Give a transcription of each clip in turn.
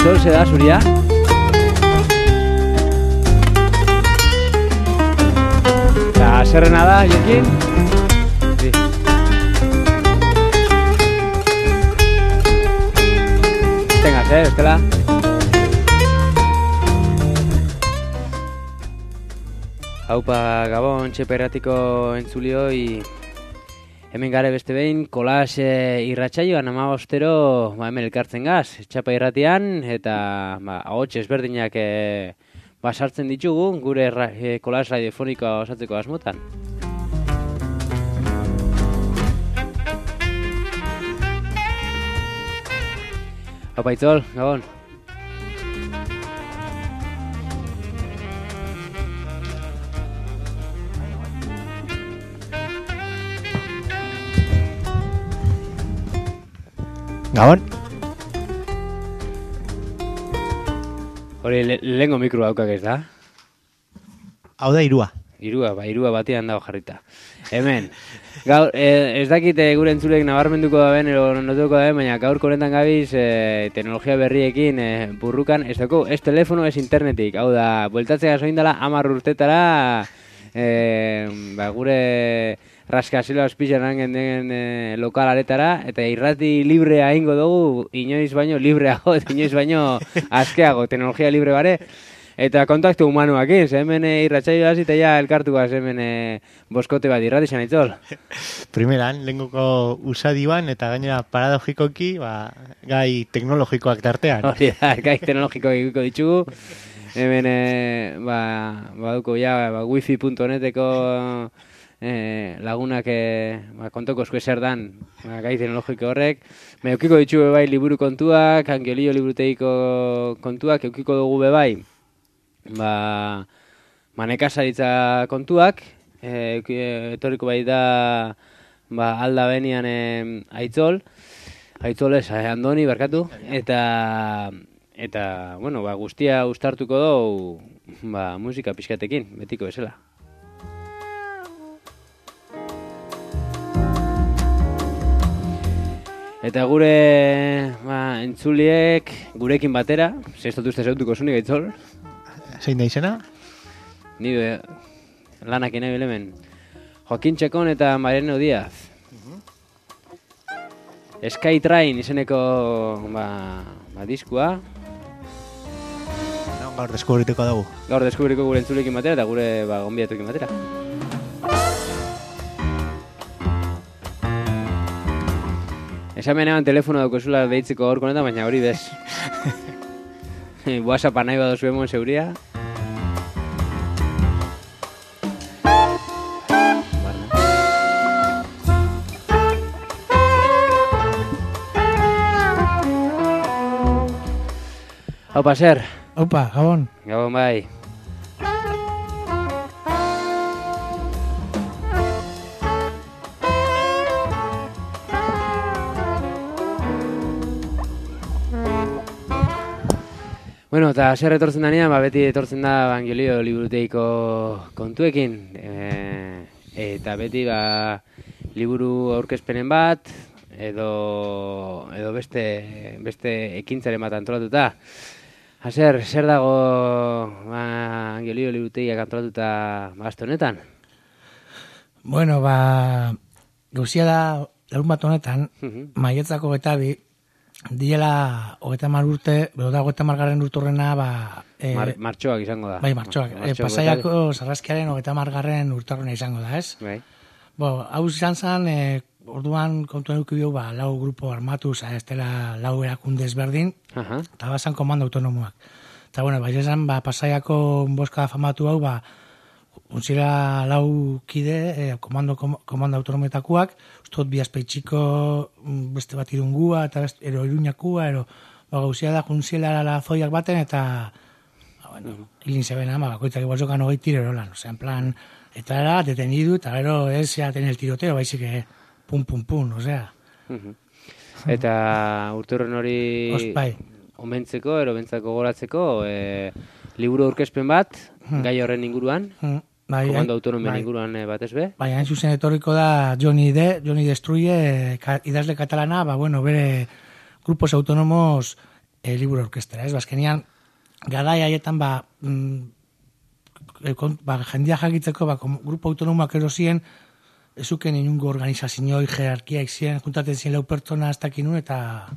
Aitzol, ze da, zuria? Eta, zerrena da, jokin? Sí. Tengaz, bestela? Haupa, Gabon, txeperratiko entzulioi. Hemen gare beste behin, kolas irratsaioan 15 hemen elkartzen gaz, txapa irratian, eta ahots ezberdinak sartzen ditugu, gure kolas radiofonikoa osatzeko asmotan. Haupa Aitzol, Gabon. Gabon. Hori, lehengo mikro daukak ez da? Hau da irua. Irua batean dago jarrita. Hemen, gaur, ez dakit gure entzulek nabarmenduko da ben, notuko da ben, baina gaurko honetan gabiz teknologia berriekin burrukan, ez dago, ez telefono, ez internetik. Hau da, bueltatzea soindala 10 urtetara, gure raskazilo azpixaran genden lokal aretara, eta irrati librea ingo dugu, inoiz baino libreago, eta inoiz baino askeago, teknologia libre bare, eta kontaktu humanuak iz, hemen irratsaio hasi eta ja elkartuaz hemen boskote bat irrati izan Aitzol. Primeran, lehengoko usadiban, eta gainera paradogikoki, gai teknologikoak tartean. Hori da, gai teknologikoak ikuko ditugu, hemen baduko ja wifi.neteko lagunak kontoko esku ezer dan gai teknologiko horrek. Eukiko ditugu bebai liburu kontuak, Angelio liburutegiko kontuak, eukiko dugu bebai nekazaritza kontuak, etorriko bai da alda benian Aitzol ez, Andoni, barkatu, eta bueno, guztia uztartuko dugu musika pixkatekin, betiko bezala. Eta gure entzuliek gurekin batera, zehaztatu uste zeutuko zunik Aitzol. Zein da izena? Ni lanak nahi belemen. Joaquin Txekon eta Mariano Díaz. Skytrain izeneko diskua. Gaur deskubrituko dugu. Gaur deskubrituko gure entzulekin batera eta gure gonbidatuekin batera. Esamen eban telefono daukozula deitzeko gaurko honetan, baina hori bez. WhatsAppa nahi badozu emon zeuria. Haupa, zer? Haupa, Gabon. Gabon bai. Bueno, eta zer etortzen danean, beti etortzen da Angelio liburutegiko kontuekin. Eta beti liburu aurkezpenen bat, edo beste ekintzaren bat antolatuta. Zer dago Angelio liburutegiak antolatuta azte honetan? Bueno, gauzia da larun bat honetan, Maiatzako getabi, diela 30 urte, bero da 30 urturrena, martxoak izango da. Bai, martxoak. Pasaiako sarraskiaren 30 urturrena izango da, ez? Bai. Hau izan zen, orduan kontu eduki bio, 4 grupo armatu, ez dela 4 erakunde ezberdin, eta bazan komando autonomoak. Eta, bueno, izan, Pasaiako boska famatu hau, untzira 4 kide, komando autonometakuak, ustot bi azpeitxiko beste bat irungua, eta ero iruñakua, gauzia da juntziela la zoiak baten, eta hilin zebena, bakoitzak ibozokan 20 tiro erolan, en plan, eta era detenidu, eta gero ez ya ten el tiroteo, baizik pum, osea. Eta urturren hori omentzeko, bentzako goratzeko, liburu aurkezpen bat, gai horren inguruan, komando autonomen inguruan batez be. Bai, hain zuzen etorriko da Johnny Destruye, idazle katalana, bere grupos autonomos liburu orkestera, ez? Bazkenian, garai haietan, jendia jakitzeko, grupo autonomoak erosien, ezuken inungo organizazioi, jerarkiak ziren, juntaten ziren lau pertsona ez dakinun, eta,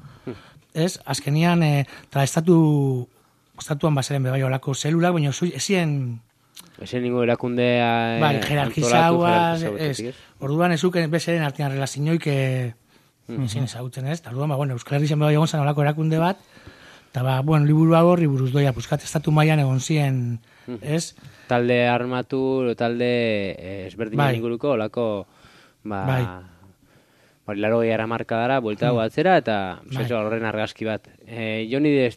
ez? Azkenian, eta estatuan bazaren bebai olako zelulak, baina ezien... Ezien ningu erakundea... jerarkizauaz, orduan ezuken bezaren artean relazioik ezin ezagutzen, ez? Orduan, Euskal Herri zen bebai egon zen olako erakunde bat, eta, liburu hau horri buruz doia, puskat estatu mailan egon ziren, ez? Talde armatu, talde ezberdinen inguruko, olako, laro gehiara markadara, buelta dago atzera, eta horren argazki bat. Johnny D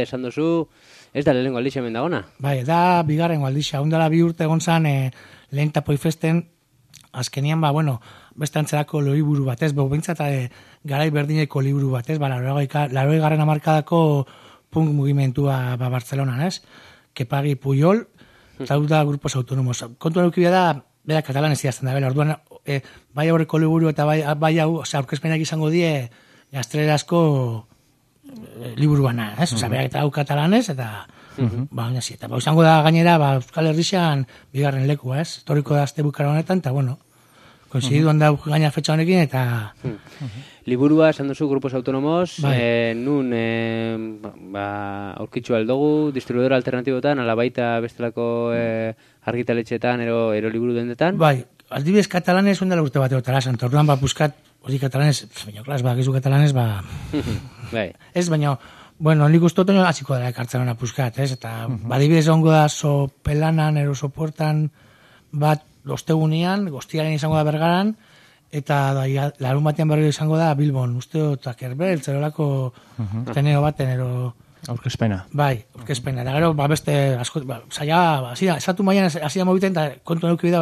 esan duzu, ez da lehenengo aldixe hemen dagona? Bai, da bigarrengo aldixe, ondala 2 urte egon zan lehen tapoifesten, azkenian, beste antzerako liburu bat, ez, bintzat garai berdineko liburu bat, ez, 80. hamarkadako punk mugimentua Bartzelonan, ez, Kepagi Puyol, eta da grupos autonomos. Kontu erukibia da, bera katalan ez idazten da, orduan, bai aurreko liburu eta bai hau, aurkezpenak izango die gaztelerazko liburu bana, ez? Berak eta hau katalanez, eta eta izango da gainera, Euskal Herrixan bigarren leku, ez? Toriko da azte bukara honetan, eta koinziduan da gaina fetxa honekin, eta... Liburua, esan duzu, grupos autonomos, nun aurkitzu aldugu, distribuidora alternatibotan, ala baita bestelako argitaletxetan, ero liburu dendetan? Bai, aldibidez katalanez, ondela urte bat eotara, santorduan, buskat, hori katalanez, baina, klas, gizu katalanez, ez, baina, nik ustotu hasiko dara ekartzen hona puskat, ez, eta, adibidez ongo da, sopelanan, ero sopuertan, bat, ostegunean, goztiaren izango da Bergaran, eta larun batean berriro izango da Bilbon, usteo, eta kerbel, zerolako teneo baten, ero... Aurkezpena. Bai, aurkezpena. Eta gero, beste, asko, esatu maian, hasi da mobiten, eta kontu neukibida,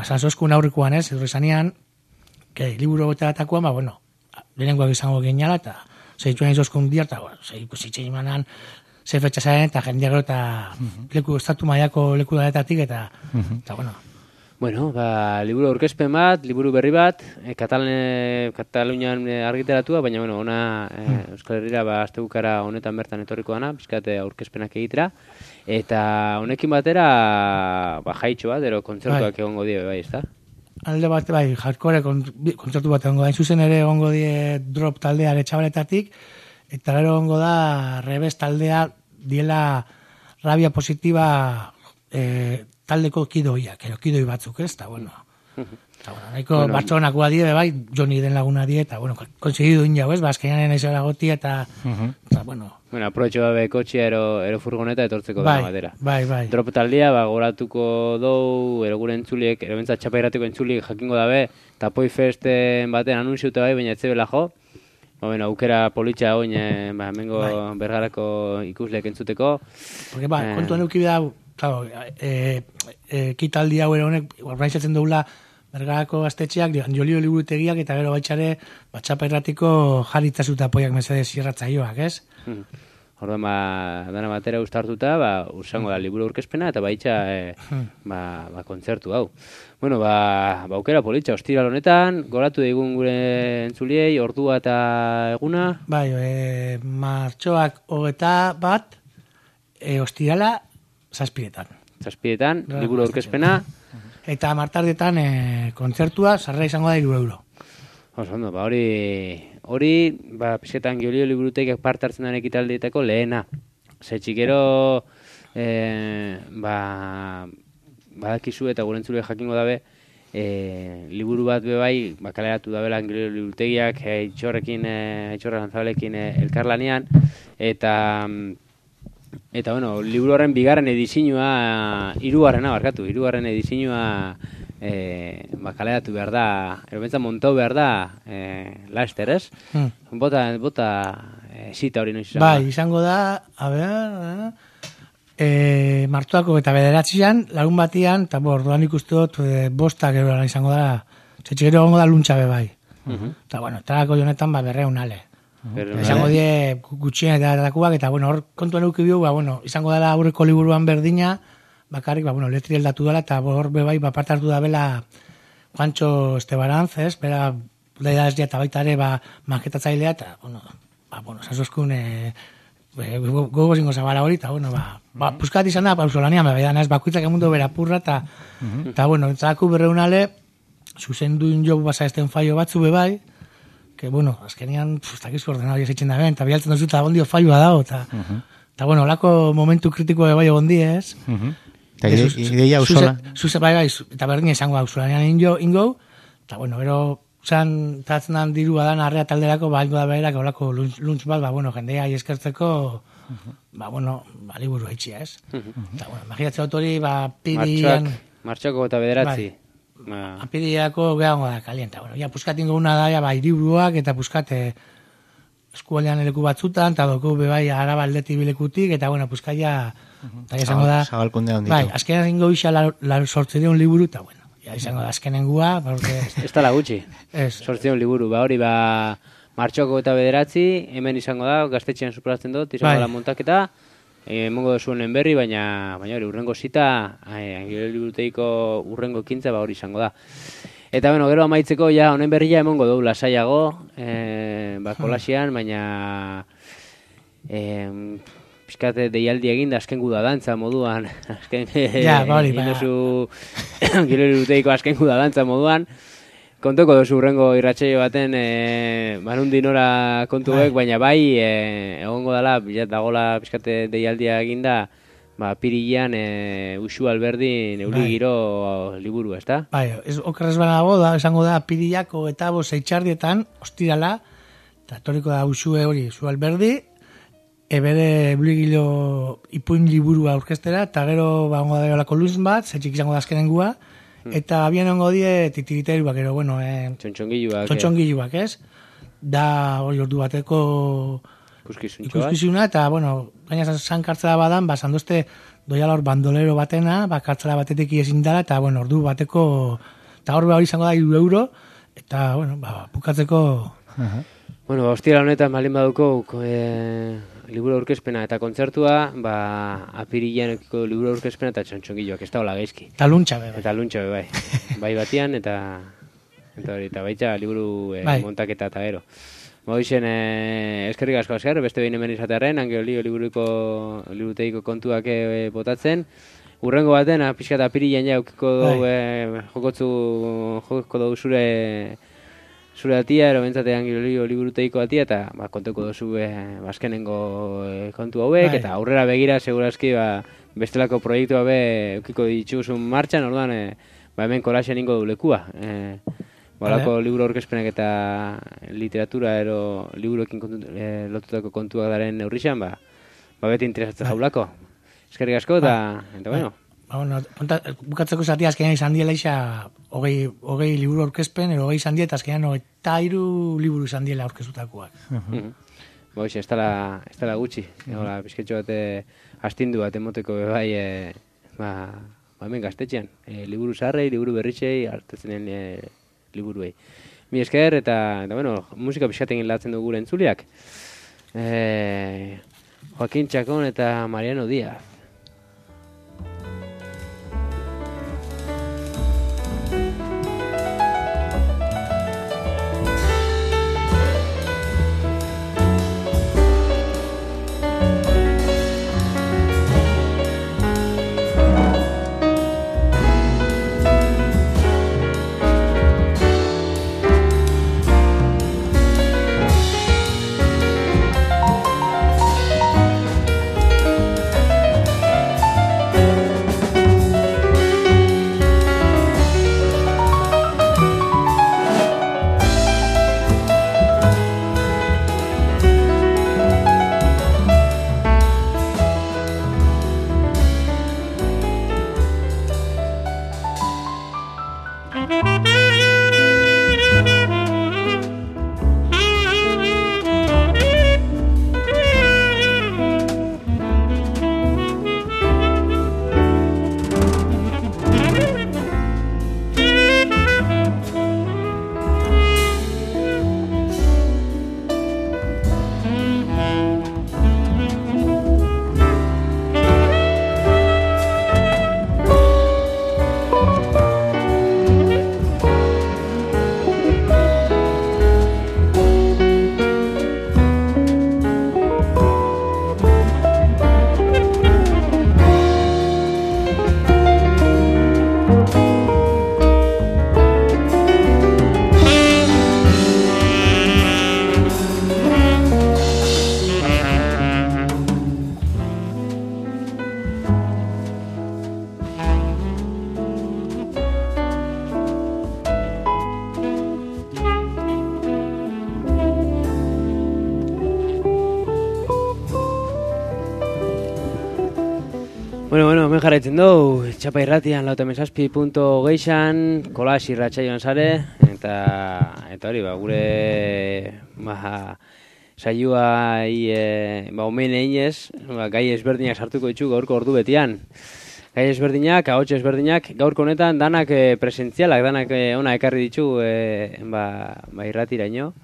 zanzozkun aurrikuan, ez, esanean, liburu goteratakoan, lehenengoak izango geniala, eta zeitu nahi zozkun dira, eta zeitzen imanan, ze fetxa zaren, eta jendia gero, eta leku, estatu maiako leku daletatik, eta, liburu aurkezpen bat, liburu berri bat, Katalunian argiteratua, baina, ona Euskal Herrira, aztegukara honetan bertan etorriko dana, bizkate aurkezpenak egitera, eta honekin batera, jaitxo bat, ero kontzertuak egongo die, bai, ez da? Alde bat, hardcore kontzertu bat egongo da, zuzen ere egongo die drop taldea etxabaletatik, eta gero egongo da Rebes taldea diela rabia positiba taldeko kidoiak, kidoi batzuk, ez? Eta, nahiko Bartzonak die, bai, Johnny den laguna die, eta, konsegidu injau, ez? Azkenean naizela goti, eta, aproetxo dabe kotxia ero furgoneta etortzeko da batera. Bai. Drop taldea, goratuko dou, ero gure entzuliek, ero bentsat txapairatiko entzuliek jakingo dabe, eta Poifesten baten anunziute bai, baina etzebela jo. Aukera politxa oin, mengo Bergarako ikusleek entzuteko. Porque, kontuan eukibida, kitaldi hau ere honek, organizatzen dugula Bergarako gaztetxeak, jolio liburutegiak, eta gero baitxare, txapairratiko jaritzazuta apoiak mesedez irratzaioak, ez? Orduan, dana batera ustartuta, usango da liburu aurkezpena, eta baitxa, kontzertu hau. Aukera politxa, ostiral honetan, goratu daigun gure entzuliei, ordua eta eguna? Bai, martxoak 21, ostirala, 7:00. 7:00, liburu aurkezpena. Eta martardietan kontzertua, sarrera izango da 3 euro. Ondo, hori, pizketan geolio liburutegiak parte hartzen den ekitaldietako lehena. Zetxikero, badakizu eta gure entzule jakingo dabe, liburu bat bebai, kaleratu dabela geolio liburutegiak, Aitzorra Lanzabalekin elkarlanean, eta liburu horren bigarren edizioa, hirugarren edizioa kaleratu behar da, erobentza montau behar da, laster, ez? Bota zita hori noiz izango. Bai, izango da, martuako eta 9an, larun batian, eta orduan ikustu dut, 5 izango da, txetxigero gongo da luntxabe bai. Eta, tarako jonetan, 200 ale. Izango die gutxien eta datakuak, eta hor kontuan eukibio, izango dela aurreko liburuan berdina, bakarrik, letri eldatu dela, eta hor bebai, parte hartu da bela Juancho Estebaranz, ez? Bera, da ez eta baita ere, maketatzailea, eta, bueno, sasozkun gogo zingo zabala hori, eta, bueno, puskat izan da, pauzolanian, ez bakuitzak emundu bera purra, eta, bueno, entzaku berreunale, zuzenduin jo basa esten faio batzu bebai, que, bueno, azkenian, takizko ordenadori esitzen da ben, eta bialtzen dozu, eta ondio faioa dago, eta, bueno, olako momentu kritiko bebai egon ez? Eta ideia usola. Zuze bai, eta berdin izango da usolanian ingo, eta, bueno, bero, tatzen dan dirua dan arrea talderako, ingo da berak, olako lunch bat, bueno, jendea eskertzeko, bueno, liburu haitxia, ez? Eta, bueno, imaginatzen autori, pirian... Martxoko eta bederatzi. Apiriako gehango da kalienta. Bueno, ja, puskat ingo una da, iriburuak, eta puskat eskualdean eleku batzutan, eta doko bebai araba aldeti bilekutik, eta, bueno, puskat ja, eta izango da... Zabalkundea onditu. Bai, azkenan ingo isa sortzereun liburu, eta, bueno, ja, izango da azkenengua, porque... Ez tala gutxi, sortzereun liburu, hori, martxoko eta bederatzi, hemen izango da, gaztetxean superatzen dut, izango da montaketa, mongo zuen berri, baina hori, urrengo zita, Angelo liburutegiko urrengo ekintza, hori izango da. Eta, bueno, gero amaitzeko, ja, honen berria emongo dugu lasaiago, kolasian, baina pixkate deialdi egin da azken guda dantza moduan, azken Angelo liburutegiko azken guda dantza moduan, kontoko dozu urrengo irratsaio baten manundi nora kontuek, baina egongo dela, bilat dagola pixkate deialdia eginda, pirilean Uxu Alberdin euli giro liburu, ezta? Bai, okerrez banago da, esango da, pirilako eta zeitxardietan, ostirala, eta toriko da Uxu Alberdi, bere euli giro ipuin liburua aurkestera, eta gero ongo da olako luz bat, zetxik izango da azkenengua, eta abian ongo die titiriteruak, ero, bueno, txontxongiluak, ez? Da, hori ordu bateko ikuskizuna, eta, bueno, gaina zan kartzela badan, sandoste doiala hor bandolero batena, kartzela batetik ezin dara, eta, bueno, ordu bateko, eta hor hori izango da €2, eta, bueno, bukatzeko... Bueno, hostira honetan malin baduko liburu aurkezpena eta kontzertua, apirilean ekiko liburu aurkezpena eta txontxongiloak, ez da hola gaizki. Eta luntxa be, bai. Eta luntxa be, bai. Bai batian, eta baitza liburu montaketa eta gero. Hoixen, eskerrik asko asker, beste behin hemen izatearen, Angelo liburutegiko kontuak botatzen. Urrengo baten, pixka eta apirilean ja jokotko dugu zure atia, ero bentsate Angelo liburutegiko atia, eta konteko duzu azkenengo kontu hauek, eta aurrera begira, segurazki, bestelako proiektua eukiko dituzun martxan, orduan, hemen kolaxean ingo du lekua. Balako liburu aurkezpenak eta literatura ero liburuekin lotutako kontuak daren neurrixan, beti interesatzen jaulako. Eskerrik asko, eta bueno. Bukatzeko zatia azkenean izan diela isa hogei liburu aurkezpen, hogei izan diela, eta azkenean 23 liburu izan diela aurkezutakoak. Hoxe, ez dela gutxi. Bizketxo bat astindu bat emoteko bebai, hemen gaztetxean. Liburu zaharrei, liburu berritxei, hartatzenen liburuei. Mi esker, eta bueno, musika pixkaten latzen dugu gure entzuliak. Joaquin Chacón eta Mariano Díaz. hemen jarraitzen dugu, txapa irratian lautamezazpi.geixan, kolas irratsaioan sare, eta hori, gure saioa omen eginez, gai ezberdinak sartuko ditu gaurko ordu betian. Gai ezberdinak, ahots ezberdinak, gaurko honetan danak presentzialak, danak ona ekarri ditu irratiraino.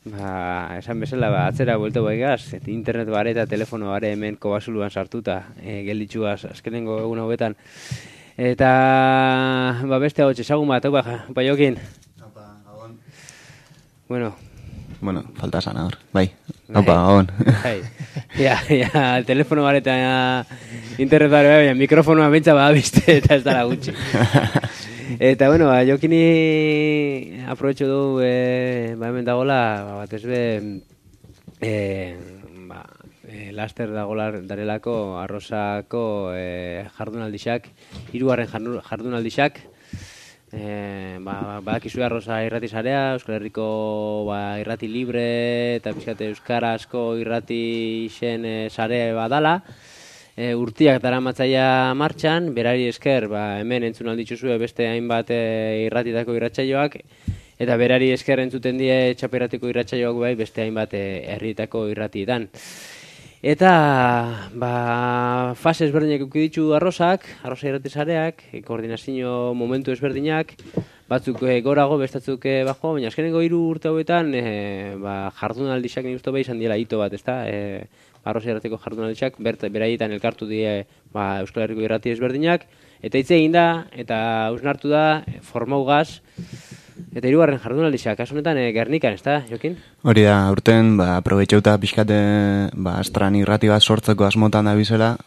Esan bezala, atzera buelto baigaz, internet bare eta telefono bare hemen kobasuluan sartuta, gelditxuaz azkenengo egun hauetan. Eta, beste hau txesagun bat, Jokin. Bueno, falta esan hor, bai. Gabon. Ja, telefono bare eta internet bare, baina mikrofonoa bentsa badabizte eta ez dara gutxi. Eta, Jokini aprobetxo du, hemen dagoela, bat ez laster dagoela darelako arrozako jardunaldixak, 3. jardunaldixak, badakizu arroza irrati sarea, Euskal Herriko irrati libre eta pixkate euskarazko irrati zen sare badala, urtiak daramatzaia martxan, berari esker, hemen entzun aldituzue beste hainbat irratitako irratsaioak, eta berari esker entzuten die txaperratiko irratsaioak beste hainbat herrietako irratietan. Eta, fase ezberdinak eukiditu arroza irrati sareak, koordinazio momentu ezberdinak, batzuk gorago, bestatzuk bajo, baina azkenengo 3 urte hauetan, jardunaldixak nik uste izan diela hito bat, ezta? Arroza irratiko jardunaldixak, beraietan elkartu die Euskal Herriko irrati ezberdinak, eta hitz egin da, eta hausnartu da, formaugaz, eta 3. jardunaldixak, kasu honetan Gernikan, ezta, Jokin? Hori da, urten, aprobetxeuta pixkate, astran irrati bat sortzeko asmotan da bizela,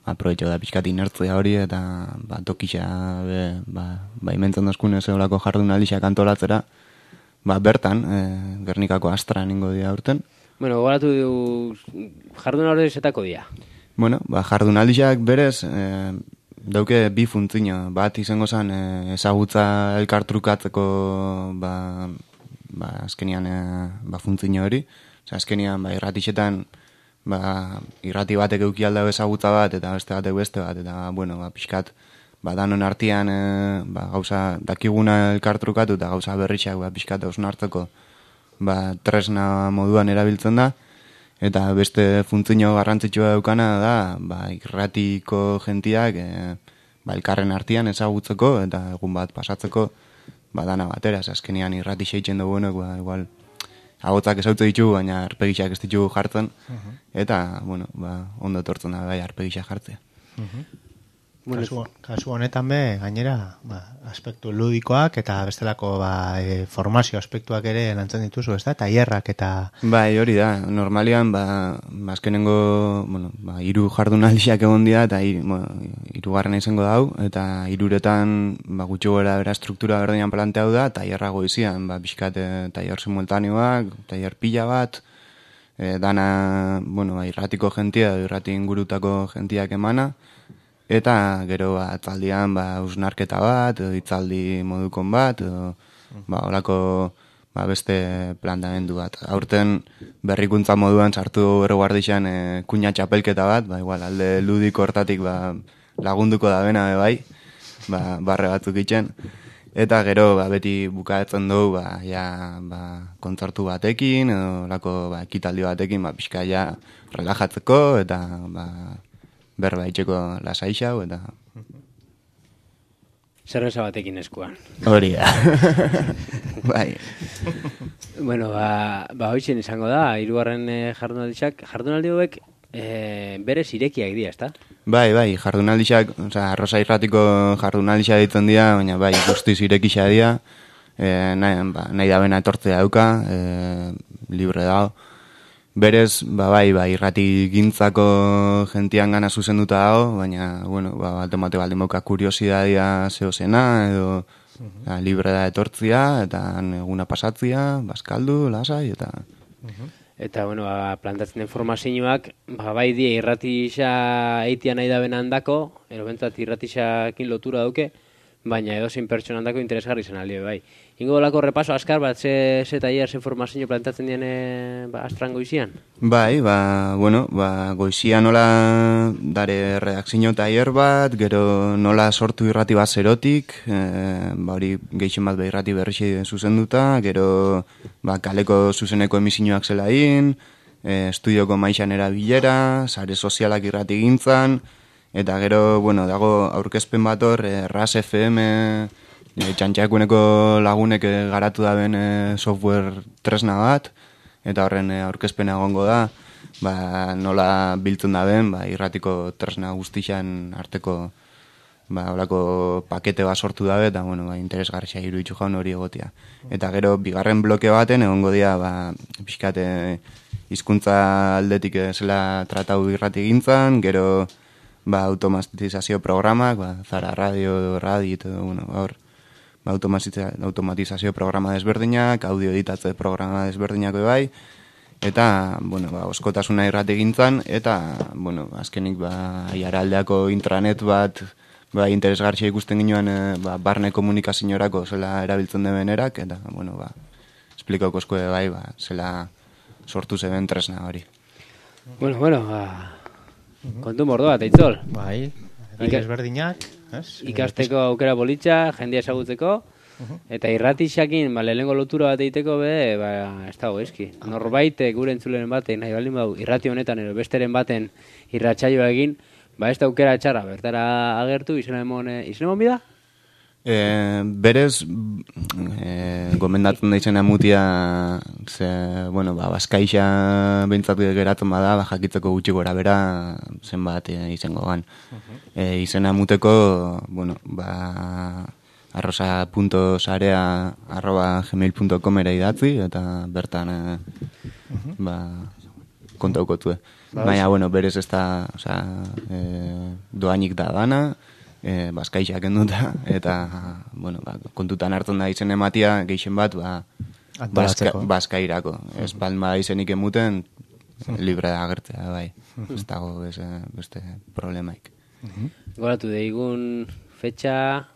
aprobetxeu da pixkat inertzia hori, eta tokitxa, imentzen dozkun ez eolako jardunaldixak antolatzera, bertan, Gernikako astran ingo dira urten. Bueno, goratu jardun hori zetako dia. Bueno, jardunaldixak berez, dauke 2 funtzio. Bat izango zen ezagutza elkartrukatzeko azkenian funtzio hori. Azkenian irratixetan irrati batek euki aldau ezagutza bat eta beste batek beste bat. Eta, pixkat, danon artian gauza dakiguna elkartrukatu eta gauza berritxak pixkat hausnartzeko tresna moduan erabiltzen da, eta beste funtzio garrantzitsua daukana da irratiko jentiak elkarren artian ezagutzeko eta egun bat pasatzeko dana batera, azkenean irrati seitzen duguenak, igual ahotzak ezautze ditugu, baina arpegixak ez ditugu jartzen, eta, ondo etortzen da arpegixak jartzea. Kasu honetan gainera, aspektu ludikoak eta bestelako formazio aspektuak ere lantzen dituzu, ez da? Tailerrak eta... Bai, hori da. Normalian, azkenengo, 3 jardunaldiak egon dira, eta 3. izango dau, eta 3etan, gutxo gora bera struktura berdinan planteau da, tailerrago izian, pixkat tailer simultaneoak, tailer pila bat, dana, irratiko jentia, irrati ingurutako jentiak emana, eta gero atzaldian hausnarketa bat, hitzaldi modukon bat, holako beste planteamendu bat. Aurten berrikuntza moduan sartu erreguardixan kuña txapelketa bat, igual alde ludiko hortatik lagunduko da bena barre batzuk itxen. Eta gero beti bukaetzen dugu kontzertu batekin, holako ekitaldi batekin pixka relajatzeko eta berba itxeko lasaixau eta... Zerbeza batekin eskuan. Hori da. Bai. Bueno, hoitzen izango da, 3. jardunaldi hauek berez irekiak dira, ezta? Bai, jardunaldixak, arroza irratiko jardunaldixak ditzen dira, baina guztiz irekixak dira, nahi da bena etortzea dauka, libre dago. Berez, irrati gintzako gentian gana zuzenduta dago, baina, batemate baldin bauka kuriosidadia zehozena, edo libre da etortzia, eta eguna pasatzia, bazkaldu, lasai, eta... Eta, plantatzen den formazioak, die irratixa eitia nahi da bena handako, ero bentzat irratixakin lotura dauke, baina edozein pertsonandako interesgarri zen aldi, bai. Ingo dolako repaso askar bat, ze tailer, ze formazio plantatzen dian astran goizian? Bai, goizia nola dare redakzio tailer bat, gero nola sortu irrati bat zerotik, hori gehixen bat irrati berri zuzenduta, gero kaleko zuzeneko emisioak zelain, estudioko maixan erabilera, sare sozialak irrati gintzan, eta gero, dago aurkezpen bat hor, RAS FM, txantxakuneko lagunek garatu daben software tresna bat, eta horren aurkezpena egongo da, nola biltzen daben, irratiko tresna guztixan arteko holako pakete bat sortu dabe, eta interesgarria iruditu jaun hori egotia. Eta gero, bigarren bloke baten egongo dira, pixkate hizkuntza aldetik zela tratau irrati gintzan, gero automatizazio programak, Zara Radio, hor, automatizazio programa desberdinak, audio editatze programa desberdinak bai, eta, oskotasuna irrati gintzan, eta, azkenik, aiaraldeako intranet bat, interesgarria ikusten ginoen, barne komunikaziorako zela erabiltzen den erak, eta, esplikauko eskue bai, zela sortu zeben tresna hori. Kontu mordo bat, Aitzol. Bai, desberdinak. Ikasteko aukera bolitza, jendia ezagutzeko, eta irratixakin, lehenengo lotura bat egiteko, ez dago eski. Norbait, gure entzuleren baten, nahi baldin badu, irrati honetan, besteren baten irratsaioa egin, ez da aukera txarra, bertara agertu, izan emon bida? Berez, gomendatzen da izena mutia, Baskaixa behintzatu geratzen bada, jakitzeko gutxi gora bera zenbat izango gan. Izena muteko, arrosa.sarea@gmail.com era idatzi, eta bertan kontaukotue. Baina, berez ez da, doainik da dana, Baskaixa kenduta, eta, kontutan hartzen da izen ematia, gehixen bat, Baskairako. Ez palma izenik emuten, libre da agertzea, bai. Ez dago beste problemaik. Goratu deigun fetxa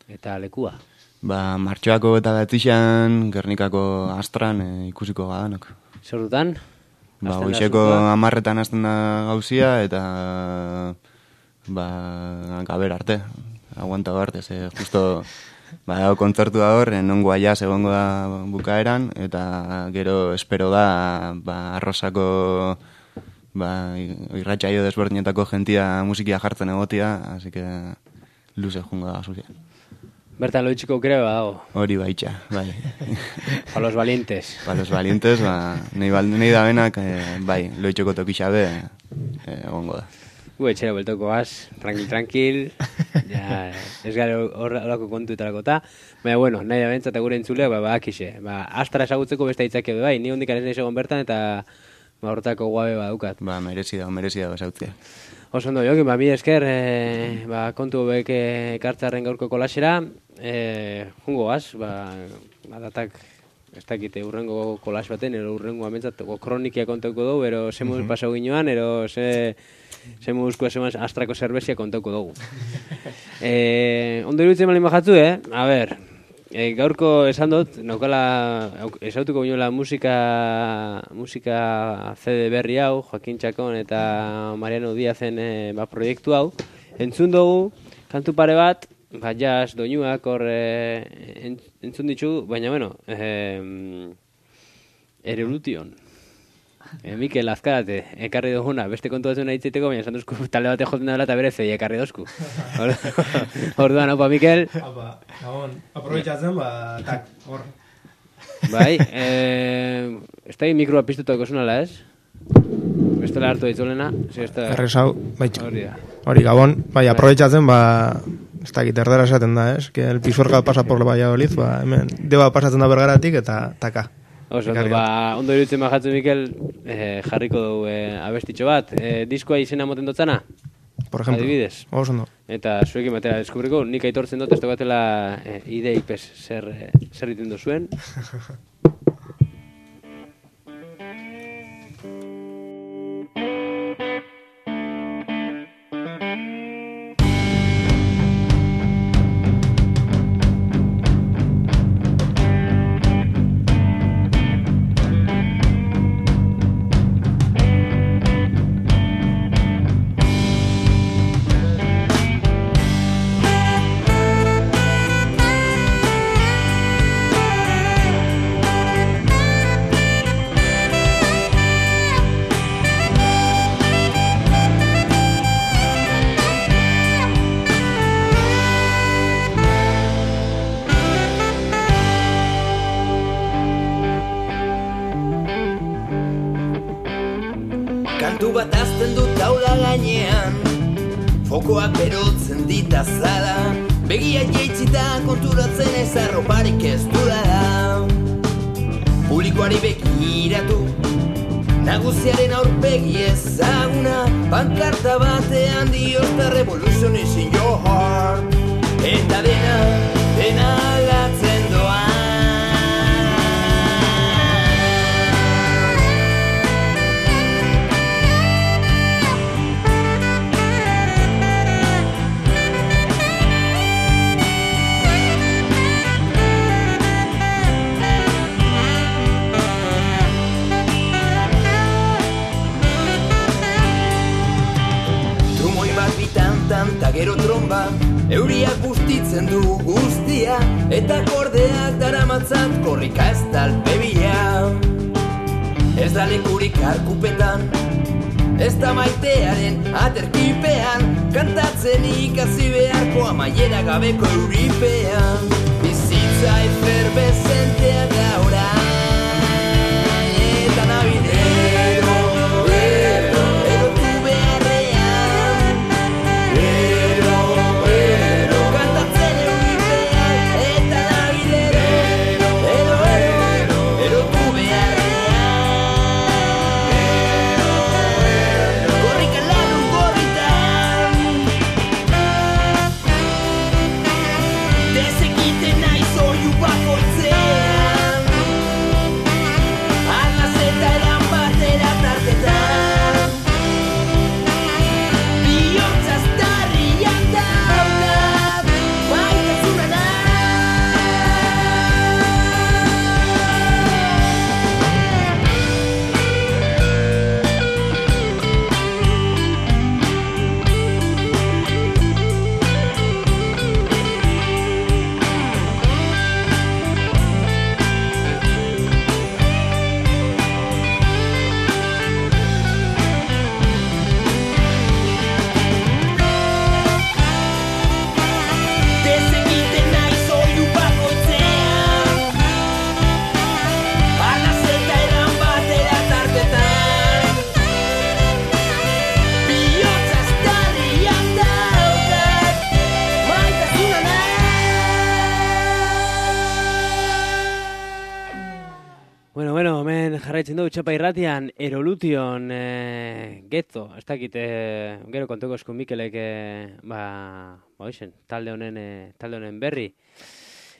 eta lekua? Martxoako eta betzixan, Gernikako astran ikusiko gadanok. Zer dutan? Goizeko 10:00 hasten da gauzia, eta gaber arte, aguanta arte, justo kontzertu da hor, nongo aiaz egongo da bukaeran, eta gero espero da Arrosako irratsaio desberdinetako jentia musikia jartzen egotia, así que luze jungo da zuzia. Bertan loitxiko aukera badago. Hori baitxa, bai. Pa los valientes. Pa los valientes, nahi da benak, loitxoko tokixabe egongo da. Etxera beltoko az, tranquil, ja, ez gara horako kontuetarako eta, baina, nahi da bentzat gure entzuleak, akixe, astara esagutzeko beste aitzake bai, ni hondik ez egon bertan eta horretako guabe badukat. Merezi da esautzea. Oso ondo, jokin, mi esker, kontu bek ekartzarren gaurko kolasera, jungo az, datak, ez dakite, urrengo kolas baten, ero urrengo amentzat, kronikia kontauko dugu, ero zemuz pasau ginoan, ero zemuzko esemaz astrako zerbezia kontauko dugu. Ondo iruditzen malin bajatzu, A ber, gaurko esan dut, esautuko binoela musika CD berri hau, Joaquin Txakon eta Mariano Diazen proiektu hau. Entzun dugu, kantu pare bat, jazz, doinuak hor entzun ditu, baina, Erelution. Mikel, azkarate, ekarri duguna, beste kontu batzuna hitzaiteko, baina esan duzku talde bate jotzen dela eta bere zei ekarri dozku. Orduan, opa, Mikel. Opa, aprobetxatzen, tak, hor. Bai, ez da mikroa piztutako zunala, ez? Bestela hartu ditzolena. Errezau, baitxo. Hori, Gabon, bai, aprobetxatzen, ez da giterdera esaten da, ez? Que el pisuerga pasa por Valladolid, hemen, deba pasatzen da bergaratik eta taka. Oso, ondo iruditzen bajatzen, Mikel, jarriko dugu abestitxo bat. Diskoa izena moten dotzana? Por ejemplo. Adibidez. Oso ondo. Eta zuekin batera deskubriko, nik aitortzen dut, ez batela ideik zer iten duzuen. bat azten dut taula gainean, fokoak berotzen ditazala, begia jeitzita konturatzen ez arroparik ez dudala. Publikoari begiratu, nagusiaren aurpegi ezaguna, pankarta batean dio The revolution is in your heart, eta dena aldatzen doa. Ta gero tromba, euriak bustitzen du guztia, eta kordeak daramatzat korrika ez talpebia. Ez da lekurik arkupetan, ez da maitearen aterkipean, kantatzen ikasi beharko amaiera gabeko euripean. Bizitza eferbezentea da orain, eta nabidero. Jarraitzen dugu Txapa Irratian, Erolution, Getzo, ez dakit, gero kontuko esku Mikelek, talde honen berri.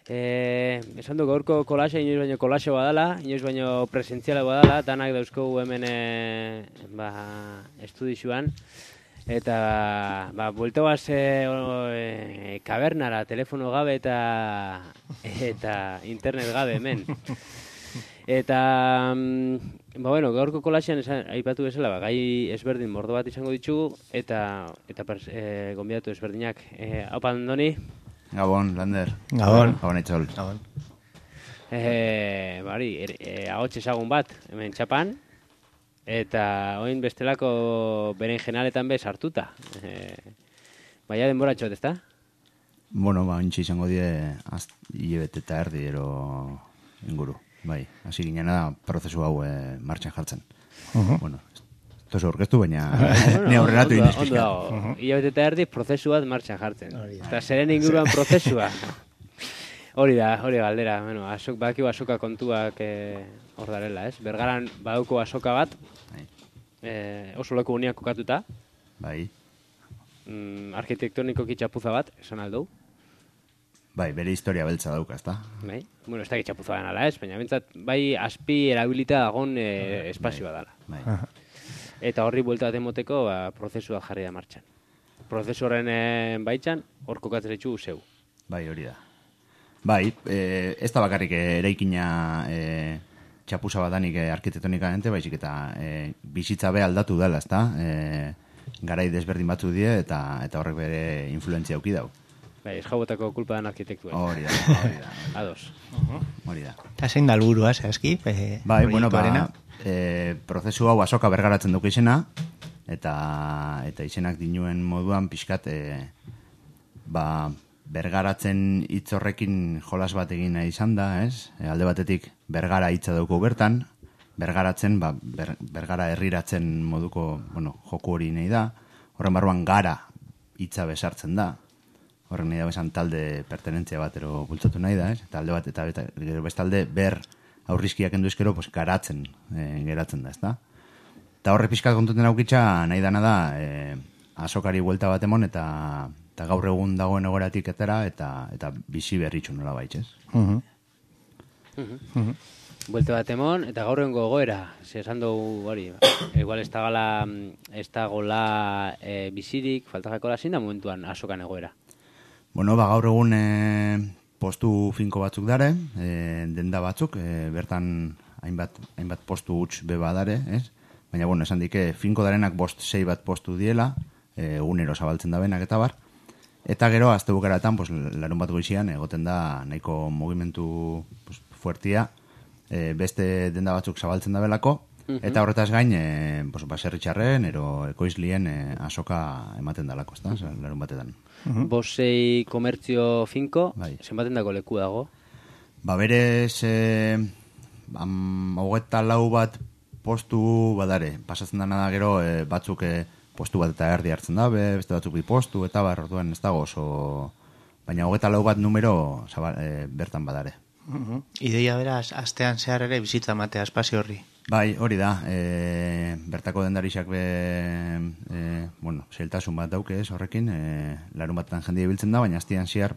Esan du gaurko kolaxa, inoiz baino kolaxa badala, inoiz baino presentziala badala, danak dauzkogu hemen estudixuan. Eta, buelto baz kabernara, telefono gabe eta internet gabe hemen. Eta, gaurko kolaxean aipatu bezala, gai ezberdin mordo bat izango ditugu, eta gonbidatu ezberdinak. Haupa, Andoni? Gabon, Lander. Gabon. Gabon, Etxol. Gabon. Ahots ezagun bat, hemen Txapan, eta oin bestelako beren jenaletan bez hartuta. Baina denboratxot, ezta? Bueno, ontsi izango die, hilebete eta erdi, ero inguru. Bai, hasi ginen da prozesu hau martxan jartzen. Bueno, tozu orkestu, baina ne aurreratu inizpizkan. Ondo dago, hilabete eta erdi prozesu bat martxan jartzen. Eta zeren inguruan prozesua. Hori da, galdera. Bakiu azoka kontuak hor darela, ez? Bergaran baduko azoka bat, oso leku uniak kokatuta. Bai. Arkitektoniko kitxapuza bat, esan aldou. Bai, bere historia beltza dauka, ezta? Bai, ez da kitxapuza den ala ez, baina bintzat, bai aspi erabilita dagon espazioa dala. Bai. Eta horri buelta bat emoteko, prozesua jarri da martxan. Prozesu horren baitzan, hor kokatzen ditu zeu. Bai, hori da. Bai, ez da bakarrik eraikina txapuza badanik arkitektonikamente, baizik eta bizitza be aldatu dela, ezta? Garai desberdin batzu die eta horrek bere influentzia auki dau. Bai, esjabotako kulpa den arkitektua. Hori da. Ados. Hori da. Eta zein da helburua, eski? Bai, prozesu hau azoka bergaratzen duke izena, eta izenak dinuen moduan pixkat, bergaratzen hitz horrekin jolas bat egin nahi izan da, ez? Alde batetik bergara hitza dauko bertan, bergaratzen, bergara herriratzen moduko, joku hori nahi da. Horren barruan gara hitza besartzen da. Horren nahi da besan talde pertenentzia bat ero bultzatu nahi da, eta alde bat, eta gero bestalde ber aurrizkiak endu ezkero, garatzen geratzen da, ezta? Eta horre pixkat kontuten aukitza nahi dana da azokari buelta bat emon eta gaur egun dagoen egoeratik etera eta bizi berritxu nola baitz, Buelta bat emon eta gaur egun gogoera, esan dugu hori, igual ez dagoela bizirik, faltajakola zin da momentuan azokan egoera. Gaur egun postu finko batzuk dare, denda batzuk, bertan hainbat postu huts beba dare, ez? Baina, esan dike, finko darenak 5-6 bat postu diela, egunero zabaltzen da benak eta bar. Eta gero, azte bukaratan, larun bat goizian, egoten da nahiko mugimendu fuertia, beste denda batzuk zabaltzen da belako, eta horretaz gain, baserritxarren, ero ekoizlien azoka ematen dalako, ez da, larun batetan. 5-6 komertzio finko, zenbaten dako leku dago? Berez, 24 bat postu badare, pasatzen dana da gero batzuk postu bat eta erdi hartzen dabe, beste batzuk bi postu, eta orduan ez dago oso... Baina 24 bat numero bertan badare. Ideia beraz, astean zehar ere bizitza matea espazio horri. Bai, hori da, bertako dendarixak zailtasun bat dauke ez horrekin, larun batetan jende biltzen da, baina astean zehar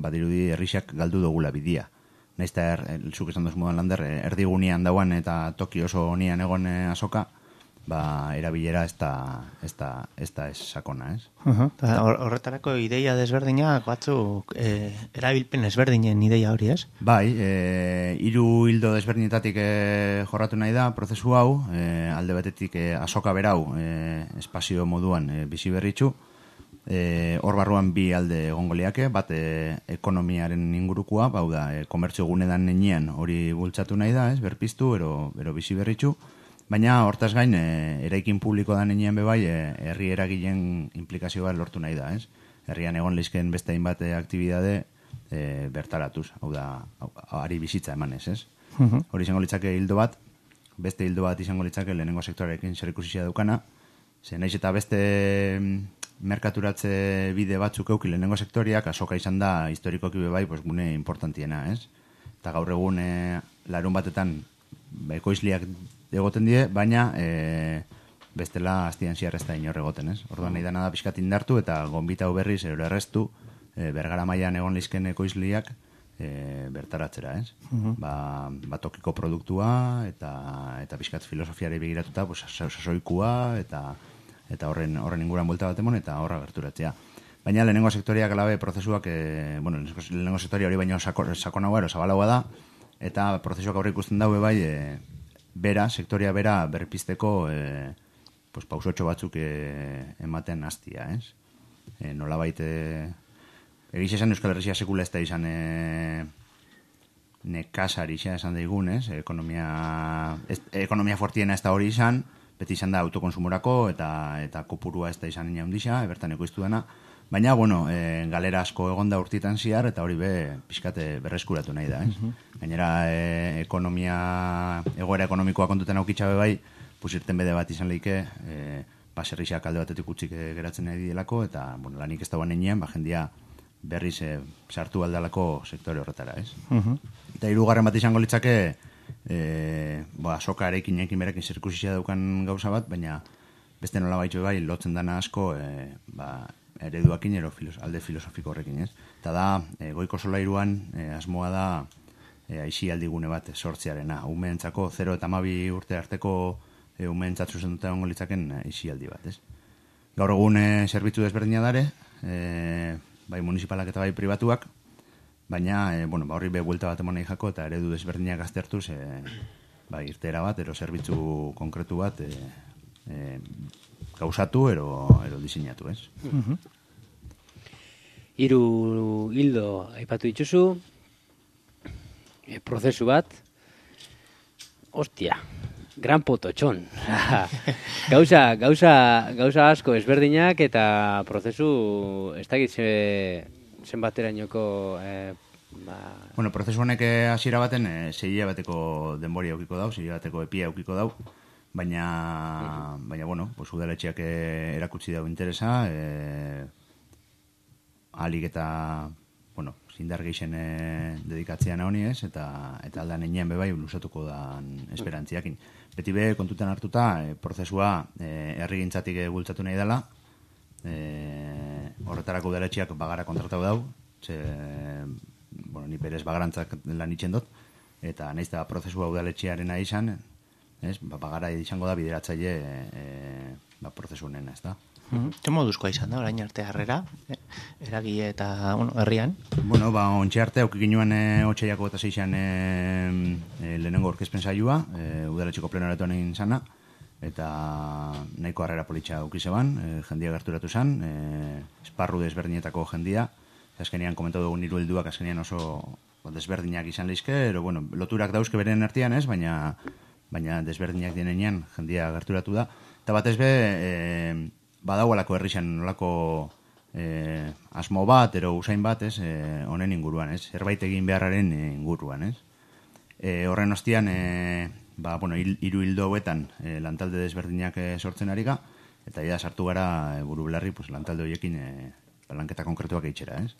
badirudi herrixak galdu dugula bidia. Naizta zuk esan duz modan lander, erdigunean dauan eta toki oso honian egon azoka, erabilera ez da sakona, ez? Horretarako ideia desberdinak batzuk erabilpen ezberdinen ideia hori, ez? Bai, 3 hildo desberdinetatik jorratu nahi da prozesu hau, alde batetik azoka berau espazio moduan bizi berritxu, hor barruan 2 alde egongo liake, bat ekonomiaren ingurukua, komertzio gunedan nenean hori bultzatu nahi da, ez, berpiztu, ero bizi berritxu, baina hortaz gain, eraikin publiko da nenean bebai, herri eragileen implikazio bat lortu nahi da, ez. Herrian egon lizken beste hainbat aktibidade bertaratuz, hau da, ari bizitza emanez, ez. Hori izango litzake hildo bat, beste hildo bat izango litzake lehenengo sektorekin zerikusia daukana, naiz eta beste merkaturatze bide batzuk euki lehenengo sektoriak, azoka izan da historikoki bebai gune importantiena, ez? Eta gaur egun larun batetan ekoizliak egoten die, baina bestela astian ziar ez da inor egoten, ez? Orduan nahi dana da pixkat indartu eta gonbitau berriz errestu bergara mailan egon lizken ekoizliak bertaratzera, ez? Tokiko produktua eta pixkat filosofiari begiratuta sasoikua eta horren inguran buelta bat emon eta horra gerturatzea. Baina lehenengo sektoriak alabe prozesuak, lehenengo sektoria hori baino sakonagoa, zabalagoa da, eta prozesuak aurre ikusten daue bai, sektoria bera berpizteko pausotxo batzuk ematen hastia, ez? Nolabait, egiz esan Euskal Herria sekula ez da izan nekasari esan daigun, ez? Ekonomia fortiena ez da hori izan, beti izan da autokonsumorako eta kopurua ez da izan ina hundisa, bertan ekoiztu dena. Baina, galera asko egonda urtitan ziar, eta hori pixkate berreskuratu nahi da, ez? Gainera, egoera ekonomikoa kontuten aukitxabe bai, irten bede bat izan lehike, baserrixak alde batetik utzik geratzen nahi dielako, eta lanik ez da guan enean, jendia berriz sartu aldalako sektore horretara, ez? Eta 3. bat izango litzake, azoka erekin berekin zirkusizia daukan gauza bat, baina beste nola baitzu bai, lotzen dana asko, ereduakin alde filosofiko horrekin, ez? Eta da, goiko solairuan asmoa da aisialdigune bat sortzearena. Umeentzako 0 eta 12 urte arteko umeentzat zuzenduta egongo litzaken aisialdi bat, ez? Gaur egun zerbitzu desberdina dare, bai municipalak eta bai pribatuak, baina horri buelta bat emonei jako eta eredu desberdinak aztertuz irtera bat, zerbitzu konkretu bat gauzatu ero diseinatu, ez? 3 hildo aipatu dituzu, prozesu bat, hostia, gran pototxon. Gauza asko ezberdinak eta prozesu ez dakit zenbaterainoko Bueno, prozesu honek hasiera baten 6 hilabeteko denbori aukiko dau, 6 hilabeteko epia aukiko dau, baina bueno, pues udaletxeak erakutsi dau interesa, ahalik eta, bueno, zindar geixen dedikatzean honi ez, eta aldan enean bebai lusatuko dan esperantziakin. Beti be, kontutan hartuta, prozesua herrigintzatik bultzatu nahi dela, horretarako udaletxeak bagara kontratau dau, bueno, ni berez bagarantzak lan itxen dut, eta nahiz da prozesua udaletxearena izan, bagara izango da bideratzaile prozesu honena, ez da. Ze moduzkoa izan da, orain arte harrera, eragile eta herrian? Bueno, ontxe arte, aukik ginoen otxaiako eta zeixan lehenengo orkezpen saioa, udaletxeko plenoratuan egin zana, eta nahiko harrera politxa aukizeban, jendia gerturatu zen, esparru desberdinetako jendia, azkenean komentatu dugun hiru helduak azkenean oso desberdinak izan leizke, ero, bueno, loturak dauzke beren artean ez, baina desberdinak dienean jendia gerturatu da, eta batez be, badaualako herrixan nolako asmo bat, ero usain bat, ez, honen inguruan, ez, zerbait egin beharraren inguruan, ez. Horren ostian, bueno, hiru hildo hauetan lantalde desberdinak sortzen ari ga, eta ja sartu gara buru belarri, pues, lantalde horiekin lanketa konkretuak eitxera, ez?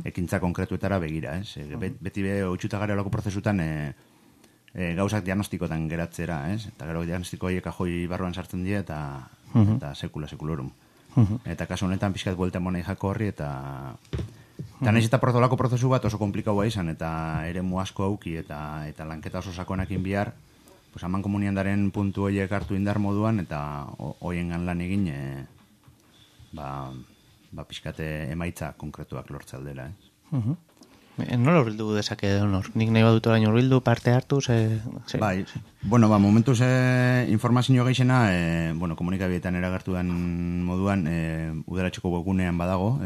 Ekintza konkretuetara begira, ez? Beti be, otxuta gara olako prozesutan gauzak diagnostikotan geratzera, ez? Eta gero diagnostiko horiek ajoi barruan sartzen dira eta sekula-sekulorum. Eta kasu honetan pixkat buelta monei jako horri eta nahiz eta olako prozesu bat oso komplikaua izan eta ere asko auki eta lanketa oso sakonakin bihar, pues aman komuniandaren puntu horiek hartu indar moduan eta hoien lan egin pixkate emaitza konkretuak lortzaldera, ez? Nola urbildu dezake honor? Nik nahi badut orain urbildu, parte hartu, Bai, bueno, momentuz informazio geixena, bueno, komunikabietan eragertu den moduan, udaletxeko webgunean badago,